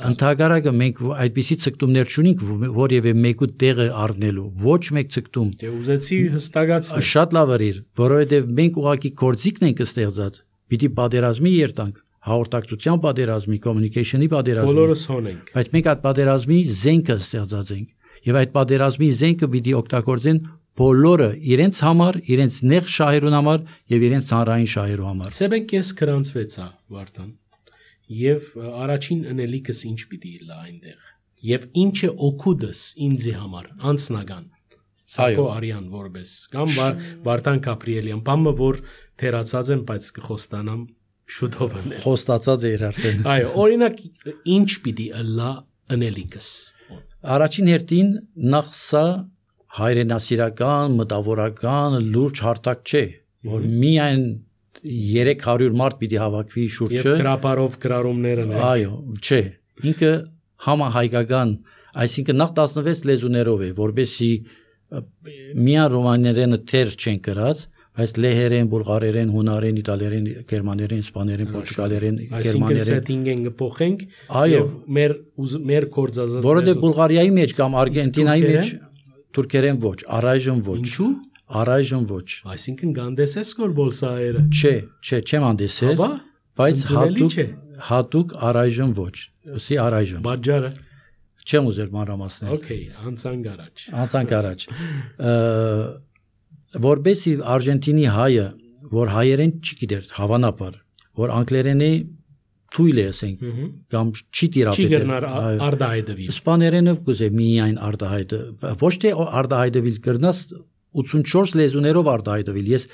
Speaker 1: ընդհակառակը մենք այդպիսի ցկտումներ չունենք, որևէ մեկու տեղը առնելու, ոչ մեկ ցկտում։
Speaker 2: Դե ուզեցի հստակացնել։
Speaker 1: Շատ լավ էր, որովհետև մենք ուղղակի գործիքն ենք ստեղծած, պիտի պատերազմի երտանք, հաղորդակցության պատերազմի, communication-ի պատերազմի։
Speaker 2: Բոլորս հոնենք։
Speaker 1: Բայց մենք այդ պատերազմի զենքը ստեղծած ենք, եւ այդ պատերազմի զենքը պիտի օգտագործեն բոլորը իրենց համար, իրենց նեղ շահերուն համար եւ իրենց ծանրային շահերու համար։
Speaker 2: Սեբեն կես կրանցվեցա Վարդան։ Եվ առաջին ընելիքս ինչ պիտի լա այնտեղ։ Եվ ինչը օգուտս ինձի համար անձնական։ Սակո Արյան որպես կամ Վարդան Գաբրիելյան, բամը որ թերացած եմ, բայց կխոստանամ շուտով անել։
Speaker 1: Խոստացած էր արդեն։
Speaker 2: Այո, օրինակ ինչ պիտի լա ընելիքս։
Speaker 1: Առաջին հերթին նախ սա հայրենասիրական, մտավորական, լուրջ հարթակ չէ, որ միայն 300 մարդ պիտի հավաքվի շուրջը։
Speaker 2: Եվ գրապարով գրառումներն են։
Speaker 1: Այո, չէ։ Ինքը համահայկական, այսինքն նախ 16 լեզուներով է, որբեսի միան ռոմաներենը թեր չեն գրած, բայց լեհերեն, բուլղարերեն, հունարեն, իտալերեն, գերմաներեն, իսպաներեն, պորտուգալերեն,
Speaker 2: այսինքն սեթինգեն կփոխենք եւ մեր կորձազած
Speaker 1: որովհետեւ Բուլղարիայի մեջ կամ Արգենտինայի մեջ թուրքերեն ոչ, առայժմ ոչ։
Speaker 2: Ինչու՞։
Speaker 1: Առայժմ ոչ։
Speaker 2: Այսինքն գանդեսես կոր բոլսայերը։
Speaker 1: Չէ, չեմ անդեսել, բայց հատուկ առայժմ ոչ։ Սի առայժմ։
Speaker 2: Բաժարը
Speaker 1: չեմ ուզել մանրամասնել։
Speaker 2: Okay, անցանք առաջ։
Speaker 1: Անցանք առաջ։ Որբեսի Արգենտինի հայը, որ հայերեն չգիտեր, հավանաբար, որ անգլերենի թույլ է ասենք, կամ չի տիրապետել։
Speaker 2: Չի գրնար արդահայտվի։
Speaker 1: Իսպաներենը կուզե միայն արդահայտը, ոչ թե արդահայտվիլ գրնաս 84 լեզուներով արդահայտվիլ։ Ես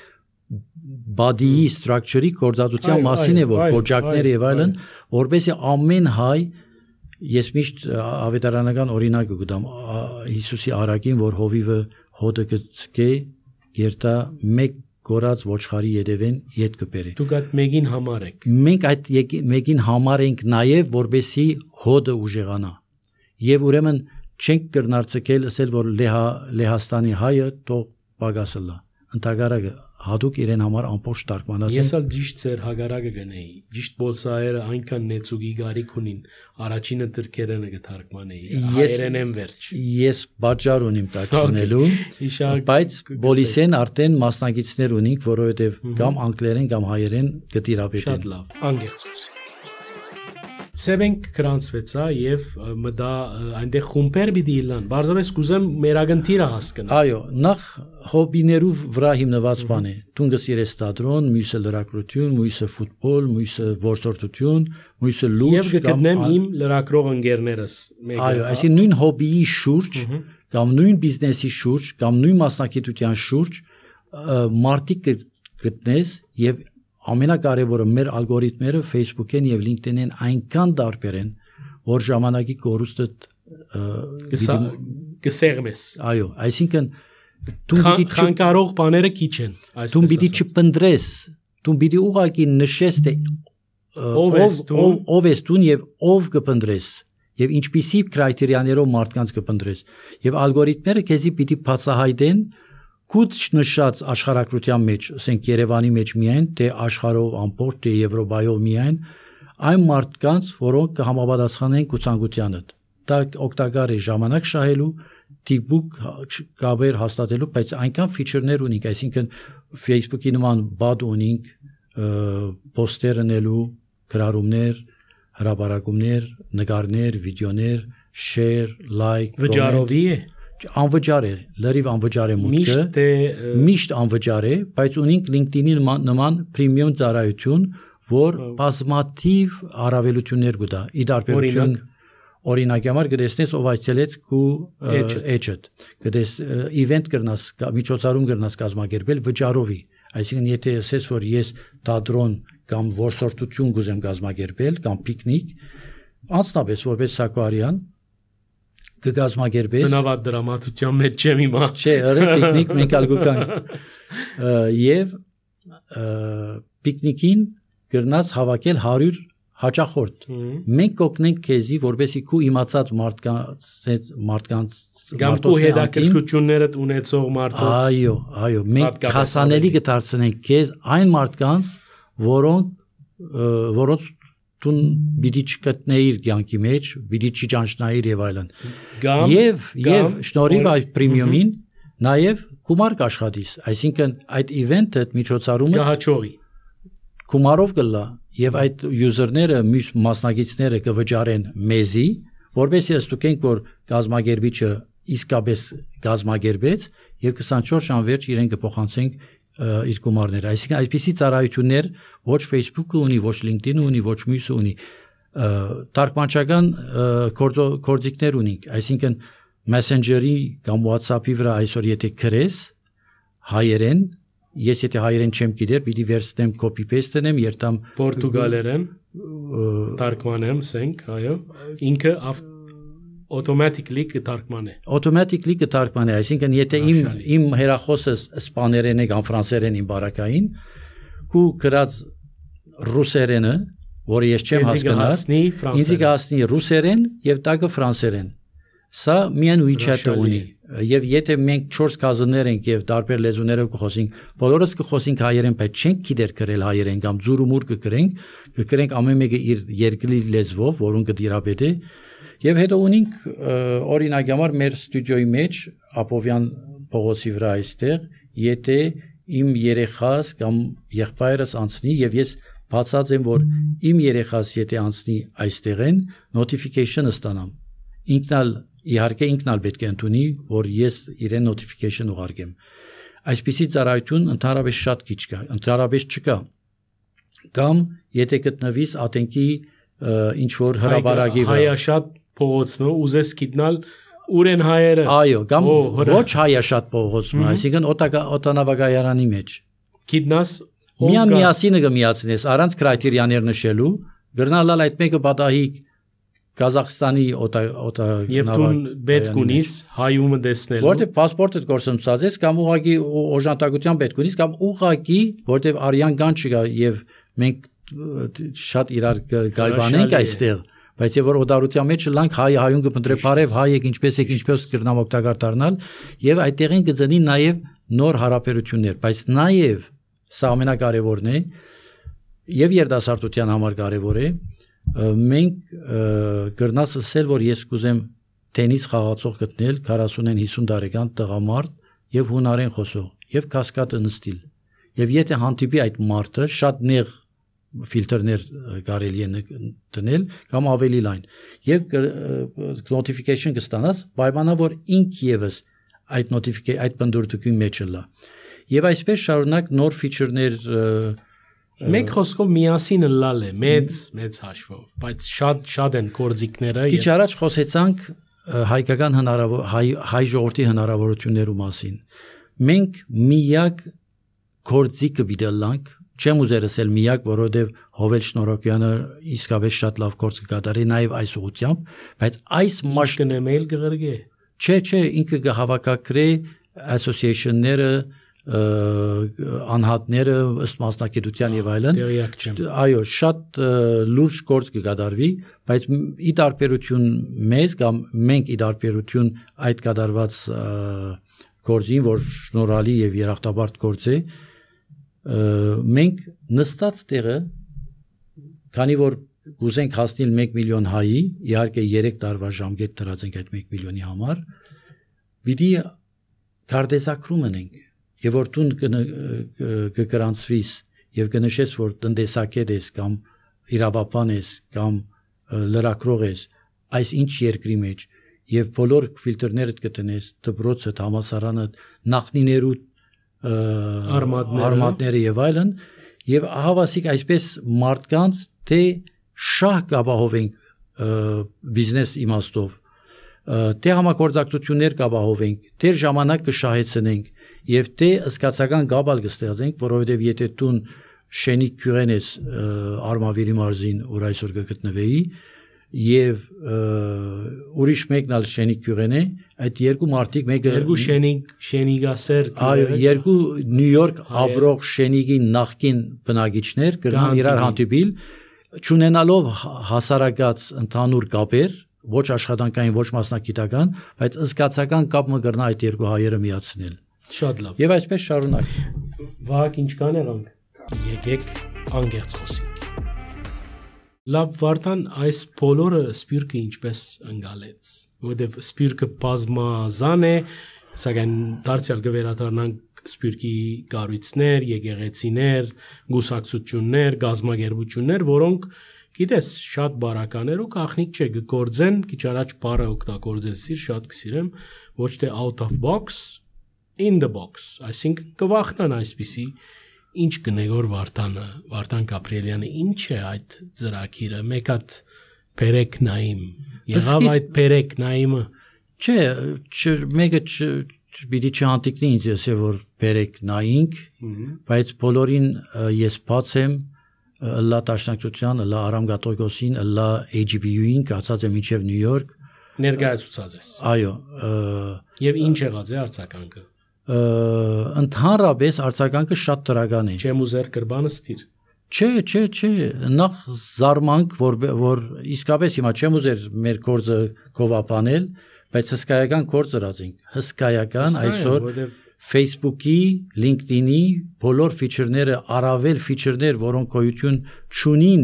Speaker 1: body structure-ի կորզածության մասին է որ կոճակներ եւ այլն, որբեսի ամեն հայ ես միշտ ավետարանական օրինակը գտամ Հիսուսի արակին, որ հովիվը հոդը գցկե երթա մեկ գորած ոչխարի յետևեն յետ կբերի։
Speaker 2: Դուք այդ մեկին համար եք։
Speaker 1: Մենք այդ մեկին համար ենք նաև որբեսի հոդը ուժեղանա։ Եվ ուրեմն չենք կրնարցկել ասել որ Լեհաստանի հայը թող պագասը լա։ Ընդհանրակը հատուկ իրեն համար ամբողջ տարկմանած։
Speaker 2: Ես ալ ճիշտ ծեր հագարակը գնեի։ Ճիշտ բոլսայերը այնքան նեցուգի գարիք ունին, առաջինը դրքերենը կթարգմանեի։ Հայերեն եմ վերջ։
Speaker 1: Ես բաժար ունիմ տակնելու, բայց բոլիսեն արդեն մասնագետներ ունենք, որովհետև կամ անգլերեն կամ հայերեն կտիրապետեն։
Speaker 2: Շատ լավ, անգերց խոսենք։ Սեբենք կրանցվեցա եւ մտա այնտեղ խումբեր պիտի իլան։ Բարձրապես կուզեմ մեր ագնտիրը հասկանալ։
Speaker 1: Այո, նախ հոբիներով վրա հիմնված բան է։ Տունգը սիրես թատրոն, մյուսը լրագրություն, մյուսը ֆուտբոլ, մյուսը որսորդություն, մյուսը լուրջ
Speaker 2: եւ կգտնեմ իմ լրագրող ընկերներս։
Speaker 1: Այո, այսինքն նույն հոբիի շուրջ կամ նույն բիզնեսի շուրջ կամ նույն մասնագիտության շուրջ մարտիկ գտնես եւ ամենակարևորը մեր ալգորիթմերը Facebook-ին եւ LinkedIn-ին այնքան տարբեր են, որ ժամանակի կորուստը
Speaker 2: կսեղմես։
Speaker 1: Այո, այսինքն
Speaker 2: դու պիտի խանգարող բաները քիչ են, այսպես
Speaker 1: դու պիտի չփնտրես, դու պիտի ուղղակի նշես թե ով ես դու եւ ով կփնտրես եւ ինչպիսի կրիտերիաներով մարդկանց կփնտրես եւ ալգորիթմերը քեզի պիտի բացահայտեն Կուտ նշած աշխարհակրթության մեջ, ասենք Երևանի մեջ միայն, թե աշխարհով ամբողջ թե Եվրոպայով միայն, այն մարդկանց, որոնք կհամապատասխանեն ցանկությանը։ Դա օգտակար է ժամանակ շահելու, տիպուկ կապեր հաստատելու, բայց այնքան ֆիչերներ ունենք, այսինքն Facebook-ի նման բադ ունենք, պոստեր անելու, գրառումներ, հրապարակումներ, նկարներ, վիդեոներ, share, like,
Speaker 2: վճարովի է
Speaker 1: անվճար է, լրիվ անվճար է մուտքը, միշտ անվճար է, բայց ունենք LinkedIn-ի նման պրեմիում ծառայություն, որ բազմաթիվ առավելություններ կտա։ Ի տարբերություն օրինակ համար կտեսնես ով այցելեց քու էջդ, կտես event կրնաս, միջոցառում կրնաս կազմակերպել վճարովի, այսինքն եթե ասես որ ես թատրոն կամ որսորդություն կուզեմ կազմակերպել կամ պիկնիկ, անձնապես որպես Սակոարյան կգազմագերբես
Speaker 2: բնավատ դրամատուրգիան մեջ չեմ իմա
Speaker 1: չէ ըրը պիկնիկ մենք ալգոկանք եւ պիկնիկին գրնաս հավաքել 100 հաճախորդ մենք կօգնենք քեզի որբեսի քու իմացած մարդկանց
Speaker 2: կամ քու հետաքրքրություններդ ունեցող մարդոց
Speaker 1: այո մենք հասանելի կդարձնենք քեզ այն մարդկանց որոնց տուն բիդի չկտնեիր կյանքի մեջ, բիդի չճանչնայիր եւ այլն։ Եվ շնորհիվ այդ պրեմիումին նաեւ գումար կաշխատիս, այսինքն այդ իվենթը միջոցառումը
Speaker 2: կհաճողի։
Speaker 1: Գումարով կլա եւ այդ յուզերները, մյուս մասնագետները կվճարեն մեզի, որովհետեւ ստուգենք որ գազագերբիչը իսկապես գազմագերբեց եւ 24 ժամ վերջ իրեն կփոխանցենք իր գումարները, այսինքն այսպիսի ծառայություններ ոչ Facebook-ը ունի, ոչ LinkedIn-ը ունի, ոչ մյուսը ունի, թարգմանչական գործիքներ ունենք, այսինքն Messenger-ի կամ WhatsApp-ի վրա այսօր եթե գրես հայերեն, ես եթե հայերեն չեմ գիտեր, պիտի վերցնեմ copy paste անեմ, երթամ
Speaker 2: Պորտուգալերեն թարգմանեմ, ասենք, այո, ինքը automatically կթարգմանե։
Speaker 1: Automatically կթարգմանե, այսինքն եթե իմ հեռախոսը իսպաներեն է կամ ֆրանսերեն իմ բարակային, ու գրած ռուսերենը, որը ես չեմ հասկանում, ինձ կհասնի ռուսերեն եւ տակը ֆրանսերեն։ Սա միայն WeChat-ը ունի։ Եվ եթե մենք 4 կազներ ենք եւ տարբեր լեզուներով կխոսենք, բոլորս կխոսենք հայերեն, բայց չենք գիտեր գրել հայերեն կամ զուրումուր կգրենք ամեն մեկը իր երկրի լեզվով, որոնք կդիրապետի։ Եվ հետո ունենք օրինակ համար մեր ստուդիոյի մեջ Ապովյան փողոցի վրա այստեղ, եթե իմ երեխաս կամ եղբայրս անցնի եւ ես բացած եմ, որ իմ երեխաս եթե անցնի այստեղեն, notification-ը ստանամ։ Իհարկե ինքնալ պետք է ընդունի, որ ես իրեն notification ուղարկեմ։ Այսպիսի ծառայություն ընդհանրապես շատ քիչ կա, ընդհանրապես չկա։ Կամ եթե գտնվիս ատենքի ինչ որ հրաբարակի վրա
Speaker 2: հայաշատ փողոցը ուզես գիտնալ ուր են հայերը։
Speaker 1: Այո, կամ ոչ հայաշատ փողոցը, այսինքն օտանավակայարանի մեջ։
Speaker 2: Գիտնաս
Speaker 1: միասինը կմիացնես առանց կրիտերիաներ նշելու, գրնալալ այդ մեկը պատահի Կազախստանի
Speaker 2: եւ դու պետք ունիս հայումը տեսնելու
Speaker 1: որտեղ паспортը գործընծած կամ ուղղակի օժանդակության պետք ունիս կամ ուղղակի որտեղ արյան կան չկա եւ մենք շատ իրար գայբանենք այստեղ բայց եւ որ օդարության մեջ լանք հայուն կփնտրե բարև հայ եք ինչպես կրնամ օգտակար դառնալ եւ այդտեղին կծնի նաեւ նոր հարաբերություններ բայց նաեւ սա ամենակարևորն է եւ երիտասարդության համար կարևոր է մենք գրնաս ասել որ ես կուզեմ տենիս խաղացող գտնել 40-ին 50 տարեկան տղամարդ եւ հունարեն խոսող եւ կասկադը նստիլ եւ եթե հանդիպի այդ մարդը շատ նեղ ֆիլտրներ կարելի է դնել կամ ավելի լայն եւ notification կստանաս պայմանա որ ինք եւս այդ այդ բնդուրդուկի մեջ լա եւ այսպես շարունակ նոր ֆիչերներ
Speaker 2: Մեկ խոսքով միասին լալ է, մեծ հաշվով, բայց շատ են կորձիկները։
Speaker 1: Քիչ առաջ խոսեցանք հայկական հայ ժողովրդի հնարավորություններու մասին։ Մենք միակ կորձիկը բիդելանք, չեմ ուզեր ասել միակ, որովհետև Հովել Շնորհոկյանը իսկապես շատ լավ կորձ կկատարի նաև այս ուղղությամբ, բայց այս
Speaker 2: մաշկն է մեյլ կղրգե։
Speaker 1: Չէ, ինքը կհավաքագրի association-ները անհատները ըստ մասնակցության եւ այլն այո շատ լուրջ գործ կկատարվի բայց ի տարբերություն մեզ կամ մենք ի տարբերություն այդ կատարված գործին որ շնորհալի եւ երախտաբարդ գործ է մենք նստած տեղը քանի որ ուզենք հասնել 1 միլիոն հայի իհարկե 3 տարվա ժամկետ դրած ենք այդ 1 միլիոնի համար պիտի կարդեզակրում ենք Եվ որ դու կգրանցվիս եւ կնշես որ տնտեսակետ ես կամ իրավապան ես կամ լրակրող ես այս ինչ երկրի մեջ եւ բոլոր ֆիլտրները կտնես դպրոցը համասարանը նախնիներու արմատները եւ այլն եւ ահավասիկ այսպես մարդկանց թե շահ կապահովենք բիզնես իմաստով թե համագործակցություններ կապահովենք թե ժամանակ կշահեցնենք Եվ թե սկացական գաբալ կստեղծենք, որովհետև եթե տուն շենիկ կյուրեն ես արմավիրի մարզին, որ այսօր կգտնվեի, եւ ուրիշ մեկն ալ շենիկ կյուրեն է, այդ երկու մարդիկ մեկը
Speaker 2: երկու շենիգասեր
Speaker 1: այո, երկու Նյու Յորք ապրող շենիգի նախկին բնակիչներ կրնան իրար հանդիպիլ, չունենալով հասարակած ընդհանուր կապեր, ոչ աշխատանքային, ոչ մասնագիտական, բայց սկացական կապ մը կրնա այդ երկու հայերը միացնել
Speaker 2: Շատ լավ։
Speaker 1: Եվ այսպես շարունակ։
Speaker 2: Վահագ ինչքան եղանք։ Եկեք անգերց խոսենք։ Լավ Վարդան, այս բոլորը սպյուրքը ինչպես ընկալեց, որովհետև սպյուրքը բազմազան է, սակայն դարձյալ կվերադառնանք սպյուրքի կառույցներ, եկեղեցիներ, գուսակցություններ, գազմագերբություններ, որոնք գիտես շատ բարականեր ու կախնիկ չէ գործեն քիչ առաջ բառը օգտագործեցիր շատ կսիրեմ ոչ թե out of box in the box այսինքն կվախնան այսպիսի ինչ կնեգոր Վարդան Գաբրիելյանը ինչ է այդ ծրագիրը մեկ հատ բերեք նայիմ եղավ այդ բերեք նայիմը
Speaker 1: չէ մեկը Բիդի չանտիկնի ինձ ասե որ բերեք նայինք, բայց բոլորին ես բաց եմ լա տաշնակցության, լա Արամ Գատոգոսին, լա AGBU-ին, կացած եմ մինչև Նյու Յորք
Speaker 2: ներկայացուցած ես։
Speaker 1: Այո,
Speaker 2: եւ ինչ եղած է արձագանքը։
Speaker 1: Ընդհանրապես արձագանքը շատ դրական է։
Speaker 2: Չեմ ուզեր կրբանը ստիր։
Speaker 1: Չէ, նախ զարմանք որ իսկապես հիմա չեմ ուզեր մեր գործը կովապանել Բայց հսկայական գործ արածենք, հսկայական այսօր Facebook-ի, LinkedIn-ի բոլոր ֆիչերները, առավել ֆիչերներ, որոնք գոյություն չունին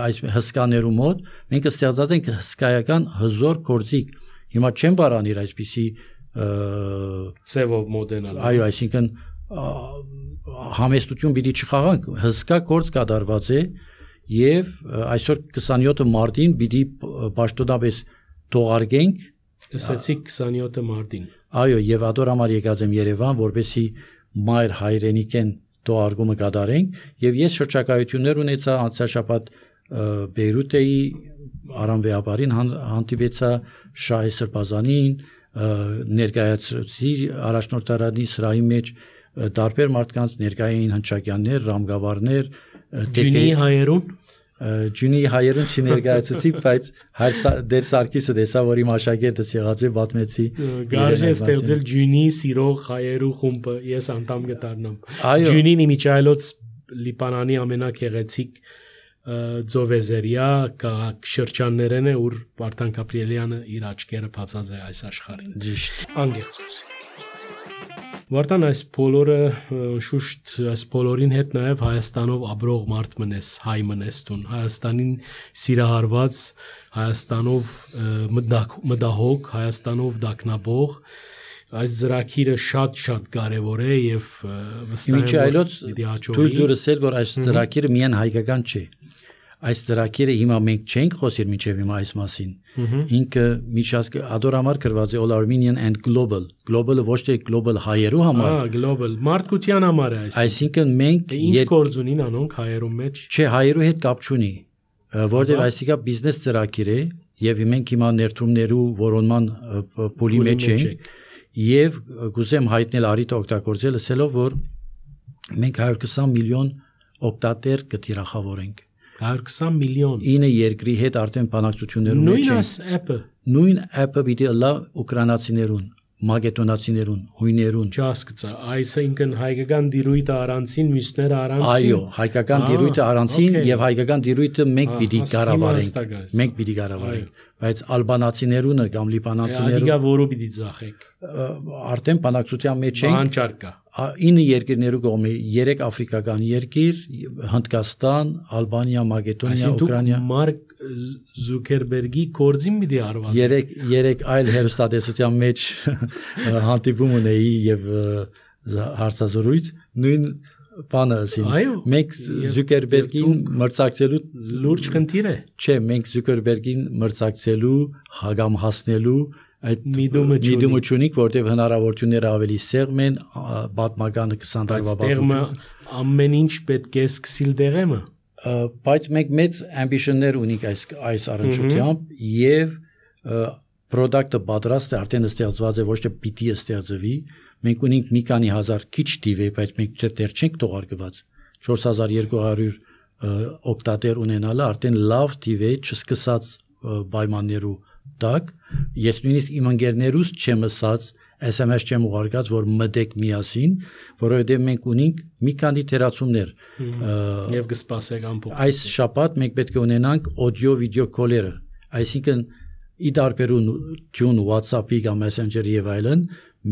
Speaker 1: այս հսկաներու մոտ, մենք ստեղծած ենք հսկայական հզոր գործիք։ Հիմա չեմ վարանիր այսպիսի
Speaker 2: ծևով մոդենալ։
Speaker 1: Այո, այսինքն համեստություն պիտի չխաղանք, հսկա գործ կատարված է եւ այսօր 27 մարտին պիտի պաշտոնապես թողարկենք
Speaker 2: Տեսեցիք 27 մարտին։
Speaker 1: Այո, եւ ադոր համար եկած եմ Երևան, որպեսի մայր հայրենիքեն թողարկումը կատարենք եւ ես շրջակայություններ ունեցա անցյալ շաբաթ Բեյրութեի Արամ Վեաբարին հանդիպեցա Շահի Սրբազանին, ներկայացրեցի առաջնորդարանի սրահի մեջ տարբեր մարդկանց ներկային հնչակյաններ, ռամգավարներ,
Speaker 2: Ջունի հայերուն
Speaker 1: Ջունի հայերուն չներկայացուցի, բայց դեր Սարգիսը տեսա, որ իմ աշակերտս եղած է, պատմեցի։
Speaker 2: Գարժե ստեղծել Ջունի սիրող հայերու խումբը, ես անդամ կդառնամ։ Ջունին իմիջայլոց Լիբանանի ամենագեղեցիկ ծովեզերիա քաղաք շրջաններն է, ուր Վարդան Գաբրիելյանը իր աչքերը բացած է այս աշխարհին։ Ճիշտ։ Անգերց խոսենք։ Վարդան այս բոլորը շուշտ այս բոլորին հետ նաև Հայաստանով ապրող մարդ մնես, հայ մնես տուն, Հայաստանին սիրահարված, Հայաստանով մտահոգ, Հայաստանով դակնաբող, այս ծրագիրը շատ կարևոր է եւ վստահ եմ
Speaker 1: որ դուրս էլ որ այս ծրագիրը միայն հայկական չէ։ Այս ծրագիրը հիմա մենք չենք խոսիր մինչև հիմա այս մասին։ Ինքը միջազգ ադորամար գրված է All Armenian and Global։ Global-ը ոչ թե global հայերու համար։
Speaker 2: Global մարդկության համար է
Speaker 1: այսինքն մենք
Speaker 2: ինչ գործ ունին անոնք հայերու մեջ։
Speaker 1: Չէ, հայերու հետ կապ չունի, որտեղ այսիկա բիզնես ծրագիր է եւ մենք հիմա ներդրումներու որոնման փուլի մեջ ենք եւ գուզեմ հայտնել արիթ օգտագործել ասելով որ մենք 120 միլիոն օգտատեր կտիրախավորենք
Speaker 2: 120 միլիոն
Speaker 1: 9 երկրի հետ արդեն բանակցություններում մեջ
Speaker 2: են։
Speaker 1: Նույն app-ը պիտի լա ուկրաինացիներուն, մակեդոնացիներուն, հույներուն։
Speaker 2: Չհասկացա, այսինքն հայկական դիրույթը առանցին, մյուսները առանցին։
Speaker 1: Այո, հայկական դիրույթը առանցին եւ հայկական դիրույթը մենք պիտի կառավարենք։ Մենք պիտի կառավարենք, բայց ալբանացիներունը կամ լիբանանցիներուն
Speaker 2: Ադիգա որո պիտի ծախեք։
Speaker 1: Արդեն բանակցության մեջ ենք։
Speaker 2: Հանճար կա։
Speaker 1: 9 երկրներու կողմի 3 աֆրիկական երկիր, Հնդկաստան, Ալբանիա, Մակեդոնիա, Ուկրաինա։
Speaker 2: Մարկ Զուկերբերգի կորձին պիտի արված։
Speaker 1: 3 այլ հերոստատեսության մեջ հանդիպում ունեի եւ հարցազրույց նույն բանը ասին։ Մենք Զուկերբերգին մրցակցելու
Speaker 2: լուրջ խնդիր է։
Speaker 1: Չէ, մենք Զուկերբերգին մրցակցելու, հագամ հասնելու այդ միտումը չունիք, որտեղ հնարավորությունները ավելի սեղմ են, պատմականը 20 տարվա
Speaker 2: պատմությունը ամեն ինչ պետք է սկսիլ դեղեմը։
Speaker 1: Բայց մենք մեծ ամբիցիաներ ունենք այս առընչությամբ եւ product-ը պատրաստ է, արդեն ստեղծված է, ոչ թե պիտի ստեղծվի։ Մենք ունենք մի քանի հազար քիչ տիվ է, բայց մենք դեռ չենք թողարկված 4200 օգտատեր ունենալը արդեն լավ տիվ է, չսկսած պայմաններու տակ ես նույնիսկ իմ ընկերներուս չեմ ասած SMS չեմ ուղարկած որ մտեք միասին որովհետև մենք ունենք մի քանի թերացումներ
Speaker 2: եւ կսպասեք ամփոփ
Speaker 1: այս շաբաթ մենք պետք է ունենանք audio video call-երը այսինքն ի դարբերություն WhatsApp-ի կամ Messenger-ի եւ այլն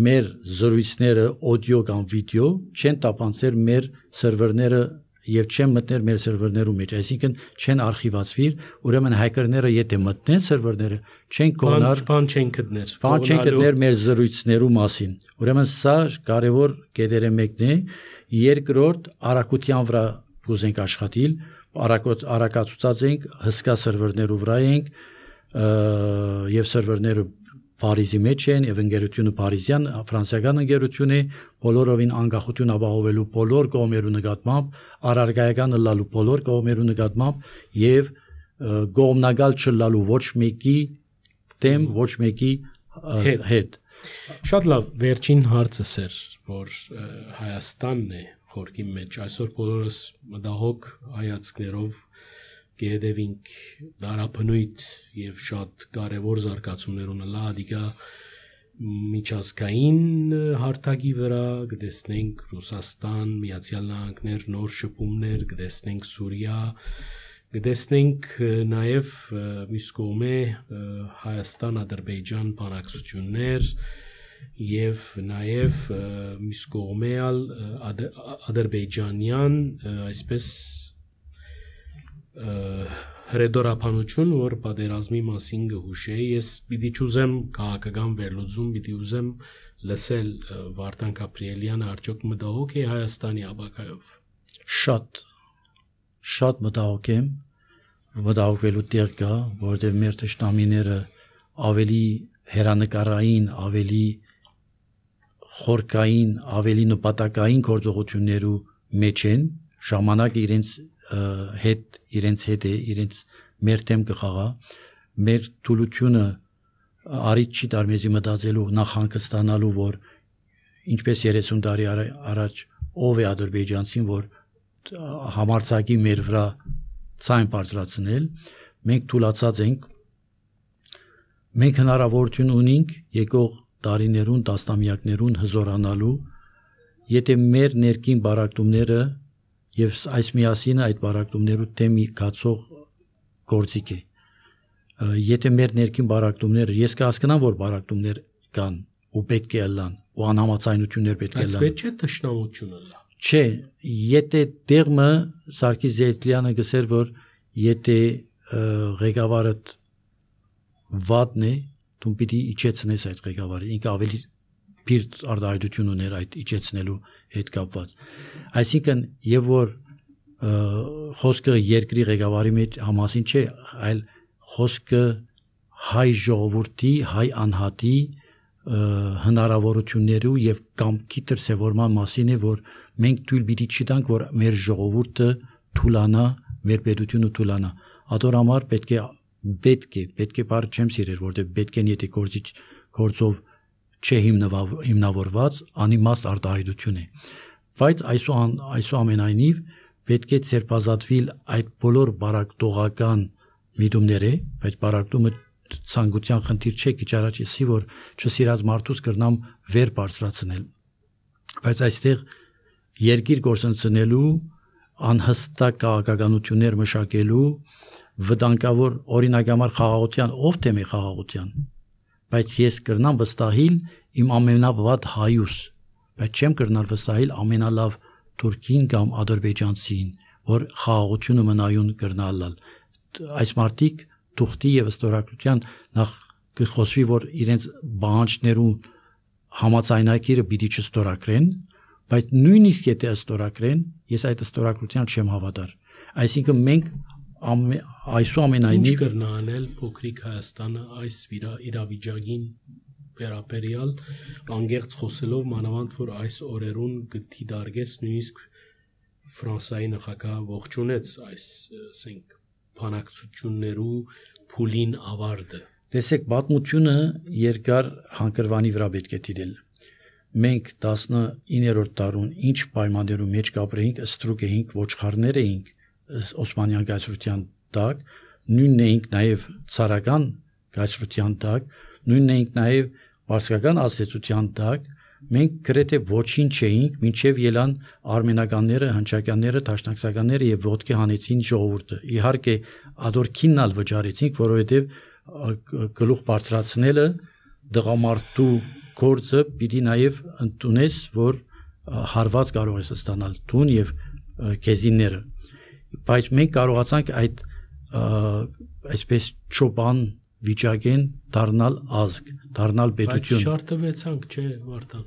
Speaker 1: մեր զրույցները audio կամ video չեն տապանցել մեր սերվերները եւ չեն մտներ մեր սերվերներում մեջ, այսինքն չեն արխիվացվիր, ուրեմն հակերները եթե մտնեն սերվերները, չեն կողնար,
Speaker 2: բան չեն գտներ
Speaker 1: մեր զրույցներու մասին։ Ուրեմն սա կարևոր կետերը մեկն է, երկրորդ արագության վրա կուզենք աշխատել, արակացուցած ենք, հսկա սերվերներով վրա ենք, եւ սերվերները Փարիզի մեջ են, եւ ընկերությունը Փարիզյան, ֆրանսիական ընկերություն է, բոլորովին անկախություն ապահովելու բոլոր կողմերու նկատմամբ, առարգայական լալու բոլոր կողմերու նկատմամբ եւ գոմնագալ չլալու ոչ մեկի դեմ, ոչ մեկի հետ։
Speaker 2: Շատ լավ, վերջին հարցս էր, որ Հայաստանն է խորքի մեջ, այսօր բոլորս մտահոգ հայացքներով կհետևենք դարաբնույթ եւ շատ կարեւոր զարգացումներ ունենա ադիգա միջազգային հարթակի վրա, կտեսնենք Ռուսաստան, Միացյալ Նահանգներ, նոր շփումներ, կտեսնենք Սուրիա, կտեսնենք նաեւ մյուս կողմը Հայաստան-Ադրբեջան բանակցություններ եւ նաեւ մյուս կողմը ադրբեջանյան այսպես հրեդորապանություն, որ պատերազմի մասին գհուշեի, ես պիտի չուզեմ քաղաքական վերլուծում, պիտի ուզեմ լսել Վարդան Գաբրիելյանը արդյոք մտահոգ է Հայաստանի ապագայով։
Speaker 1: Շատ մտահոգ եմ, մտահոգվելու տեղ կա, որովհետև մեր թշնամիները ավելի հերանեկարային, ավելի խորքային, ավելի նպատակային գործողություններու մեջ են, ժամանակը իրենց հետ է, իրենց մեր դեմ կխաղա, մեր թուլությունը արիջ չի տար մեզի մտածելու նախանկստանալու, որ ինչպես 30 տարի առաջ ով է ադրբեջանցին, որ համարձակի մեր վրա ցայն բարձրացնել, մենք թուլացած ենք, մենք հնարավորություն ունենք եկող տարիներուն, տասնամյակներուն հզորանալու, եթե մեր ներքին բարակտումները եւ այս միասինը այդ բարակտումներու դեմի կացող գործիք է։ Եթե մեր ներքին բարակտումները, ես կհասկանամ, որ բարակտումներ կան ու պետք է լան, ու անհամաձայնություններ պետք է լան։
Speaker 2: Բայց պետք չէ թշնամությունը լա։
Speaker 1: Չէ, եթե դերմը Սարգիս Զեյթլյանը գսեր, որ եթե ղեկավարդ վատն է, դու պիտի իջեցնես այդ ղեկավարը, ինքը ավելի պիրտ արտահայտություն ուներ այդ իջեցնելու հետ կապված։ Այսինքն, եւ որ խոսքը երկրի ղեկավարի մեջ համասին չէ, այլ խոսքը հայ ժողովրդի, հայ անհատի հնարավորություններու եւ կամքի դրսեւորման մասին է, որ մենք թույլ պիտի չտանք, որ մեր ժողովուրդը թուլանա, մեր պետությունը թուլանա։ Ադոր համար պետք է բառը չեմ սիրել, որտեղ պետք են եթե գործով չէ հիմնավորված անիմաստ արտահայտություն է, բայց այսուամենայնիվ պետք է ցերպազատվիլ այդ բոլոր բարակտողական միտումները, բայց բարակտումը ցանկության խնդիր չէ, քիչ առաջ ասի, որ չսիրած մարդուց կրնամ վեր բարձրացնել, բայց այստեղ երկիր գործընծնելու, անհստակ քաղաքականություններ մշակելու, վտանգավոր օրինակամար խաղաղության, ով թեմ է խաղաղության, բայց ես կրնամ վստահիլ իմ ամենավատ հայուս, բայց չեմ կրնալ վստահիլ ամենալավ թուրքին կամ ադրբեջանցին, որ խաղաղությունը մնայուն կրնալալ։ Այս մարդիկ թուղթի եւ ստորագրության նախ կխոսվի, որ իրենց բանջներուն համաձայնագիրը պիտի չստորագրեն, բայց նույնիսկ եթե ստորագրեն, ես այդ ստորագրության չեմ հավատար։ Այսինքն մենք այսուամենայնիվ
Speaker 2: կրնանել փոքրիկ Հայաստանը այս իրավիճակին վերաբերյալ անգերց խոսելով մանավանդ որ այս օրերուն գտի դարգես նույնիսկ Ֆրանսիայի նախագահ ողջունեց այս ասենք բանակցություններու փուլին ավարտը։ Տեսեք,
Speaker 1: պատմությունը երկար հանգրվանի վրա պետք է դիտել։ Մենք 19-րդ դարուն ինչ պայմաններու մեջ կապրեինք, ստրուկ էինք, ոչխարներ էինք Օսմանյան կայսրության տակ, նույնն էինք նաև ցարական կայսրության տակ, նույնն էինք նաև պարսկական ազդեցության տակ, մենք գրեթե ոչինչ չէինք, մինչև ելան արմենականները, հնչակյանները, տաշնակցականները եւ ոտքի հանեցին ժողովուրդը։ Իհարկե, ադորքիննալ վճարեցինք, որովհետեւ գլուխ բարձրացնելը դղամարդու գործը պիտի նաև ընդունես, որ հարված կարող ես ստանալ տուն եւ քեզինները։ Բայց մենք կարողացանք այդ այսպես ճոպան վիճակեն դառնալ ազգ, դառնալ պետություն։
Speaker 2: Բայց չարտվեցանք, չէ, Վարդան։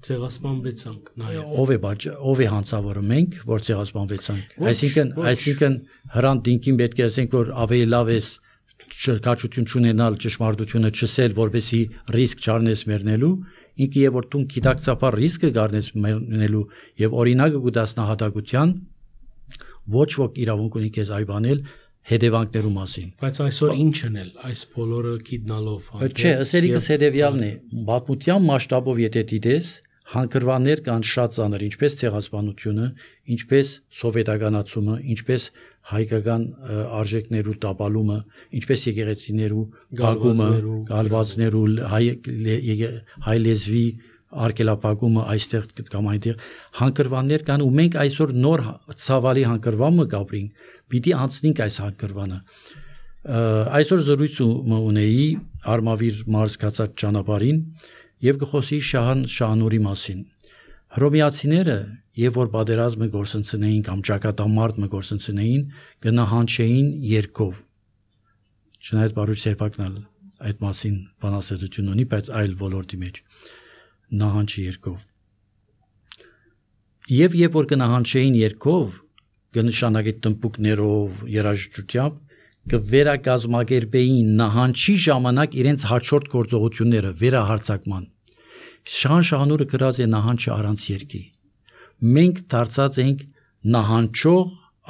Speaker 2: Ցեղասպանվեցանք
Speaker 1: ով է հանցավորը մենք որ ցեղասպանվեցանք այսինքն հրան դինքին պետք է ասենք որ ավելի լավ է ճշգրտություն չունենալ ճշմարտությունը չսել որպեսի ռիսկ չառնես մեռնելու ինքը եւ որ դու գիտակցաբար ռիսկը գարնես մեռնելու եւ օրինակը գտածնահատակության ոչ ոք իրավունք ունի քեզ այբանել հետևանքներու մասին
Speaker 2: բայց այսօր ինչն էլ այս բոլորը գիտնալով
Speaker 1: չէ ասելիքս հետևյալն է բացմության մասշտաբով եթե դիտես հանգրվաններ կան շատ ծանր ինչպես ցեղասպանությունը ինչպես սովետականացումը ինչպես հայկական արժեքներու տապալումը ինչպես եկեղեցիներու գալումը գալվածներու հայ լեզվի արկելապակումը այստեղ կամ այնտեղ հանգրվաններ կան ու մենք այսօր նոր ցավալի հանգրվանը կապրինք պիտի անցնենք այս հանգրվանը այսօր զրույց ունեի Արմավիր մարզ կացած ճանապարհին եւ գխոսի Շահանուրի մասին հռոմեացիները եւ որ պատերազմը գործընծնեին կամ ճակատամարտը գործընծնեին գնահանչեին երկով չնայած բարույր Սեֆակնալ այդ մասին բանասետություն ունի բայց այլ ոլորտի մեջ նահանջի երկով եւ որ գնահանչեին երկով կնշանակի տնպուկներով երաժշտությամբ կվերակազմակերպեին նահանջի ժամանակ իրենց հաջորդ գործողությունները վերահարձակման Շահանուրը գրած է նահանջը առանց երկի մենք դարձած ենք նահանջող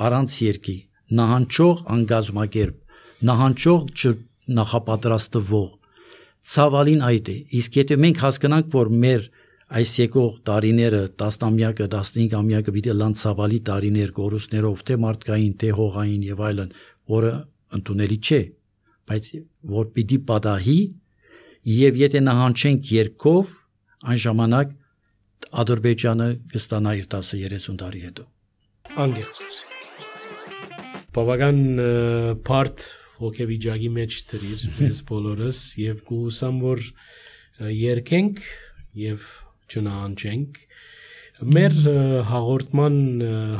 Speaker 1: առանց երկի նահանջող անգազմակերպ նահանջող նախապատրաստվող ցավալին այդ է իսկ եթե մենք հասկանանք որ մեր այս եկող տարիները 10-ամյակը 15-ամյակը պիտի լան ցավալի տարիներ գորուսներով թե մարդկային թե հողային եւ այլն որը ընդունելի չէ բայց որ պիտի պատահի եւ եթե նահանջենք երկով այն ժամանակ Ադրբեջանը կստանա իր 10-30 տարի հետո
Speaker 2: անգերց խոսենք բավական բարդ հոգեվիճակի մեջ դրիր մեզ բոլորս եւ կհուսամ որ երկենք եւ չնահանջենք մեր հաղորդման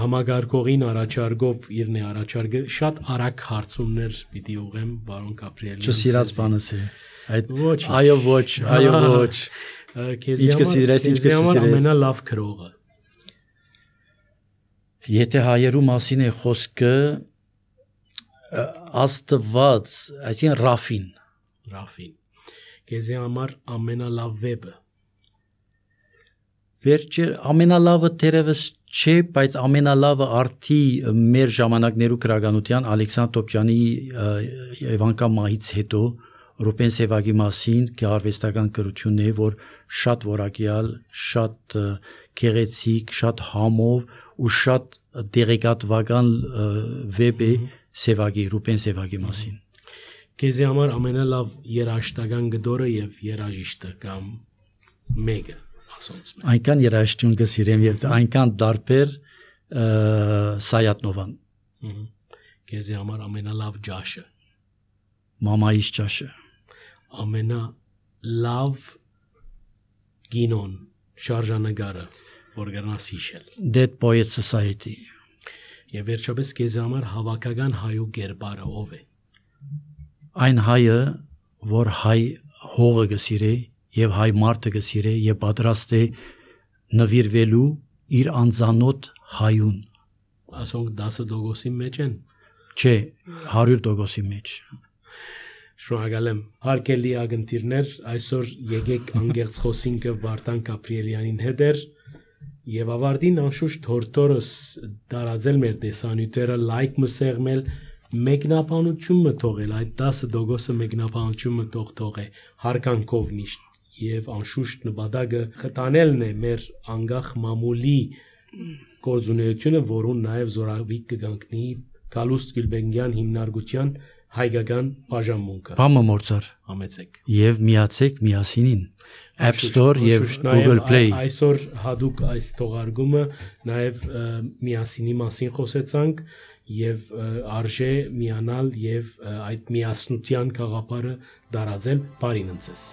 Speaker 2: համագարկողին առաջարկով իրն է առաջարկը շատ արագ հարցումներ պիտի ուղեմ բարոն Գաբրիելյան
Speaker 1: չսիրած բանս է այդ այո ոչ
Speaker 2: քեզ համար ամենալավ քրողը
Speaker 1: եթե հայերու մասին է խոսքը Աստված այսին Ռաֆին
Speaker 2: քեզ համար ամենալավ վեբը
Speaker 1: Վերջը ամենալավը թերևս չէ, բայց ամենալավը արդի մեր ժամանակներու քրագանության Ալեքսանդր Տոպչյանի Եվանկա մահից հետո Ռուբեն Սևագի մասին գեղարվեստական գրությունն է, որ շատ որակյալ, շատ գեղեցիկ, շատ համով ու շատ դերեկատվական վեբ է Սևագի, Ռուբեն Սևագի մասին։
Speaker 2: Քեզ համար ամենալավ երաժշտական գդորը եւ երաժիշտը կամ մեկը
Speaker 1: Այնքան երաժշտություն կսիրեմ եւ այնքան դարբեր Սայատնովան։
Speaker 2: Քեզ համար ամենալավ ջաշը։
Speaker 1: Մամայիս ջաշը։
Speaker 2: Ամենալավ գինոն, շարժանագարը, որ գնաս հիշել։
Speaker 1: Dead Poets Society։
Speaker 2: Եվ վերջապես քեզ համար հավաքական հայու գերբարը ով է։
Speaker 1: Այն հայը, որ հայ հողը կսիրե եւ հայ մարդը կսիրե եւ պատրաստ է նվիրվելու իր անձանոտ հայուն
Speaker 2: ասոնք 10% մեջ են
Speaker 1: չէ 100% մեջ
Speaker 2: շնորհակալ եմ հարգելի ագնտիրներ այսօր եկեք անգերց խոսինքը Վարդան Գաբրիելյանին հետ եւ ավարտին անշուշտ հորտորս դարածել մեր տեսանյութերը լայք մսեղմել մեկնաբանությունը թողել այդ 10% մեկնաբանությունը թողե հարկանքով միշտ եւ անշուշտ նպատակը խտանելն է մեր անգախ մամուլի գործունեությունը, որուն նաեւ զորավիք կգանքնի Գալուստ Գյուլբենգյան հիմնարկության հայկական բաժանմունքը։
Speaker 1: Բամը մորցար
Speaker 2: համեցեք
Speaker 1: եւ միացեք միասինին App Store եւ Google Play։
Speaker 2: Այսօր հadoop այս թողարկումը նաեւ միասինի մասին խոսեցանք եւ արժե միանալ եւ այդ միասնության գաղափարը դարածել բարին ընծես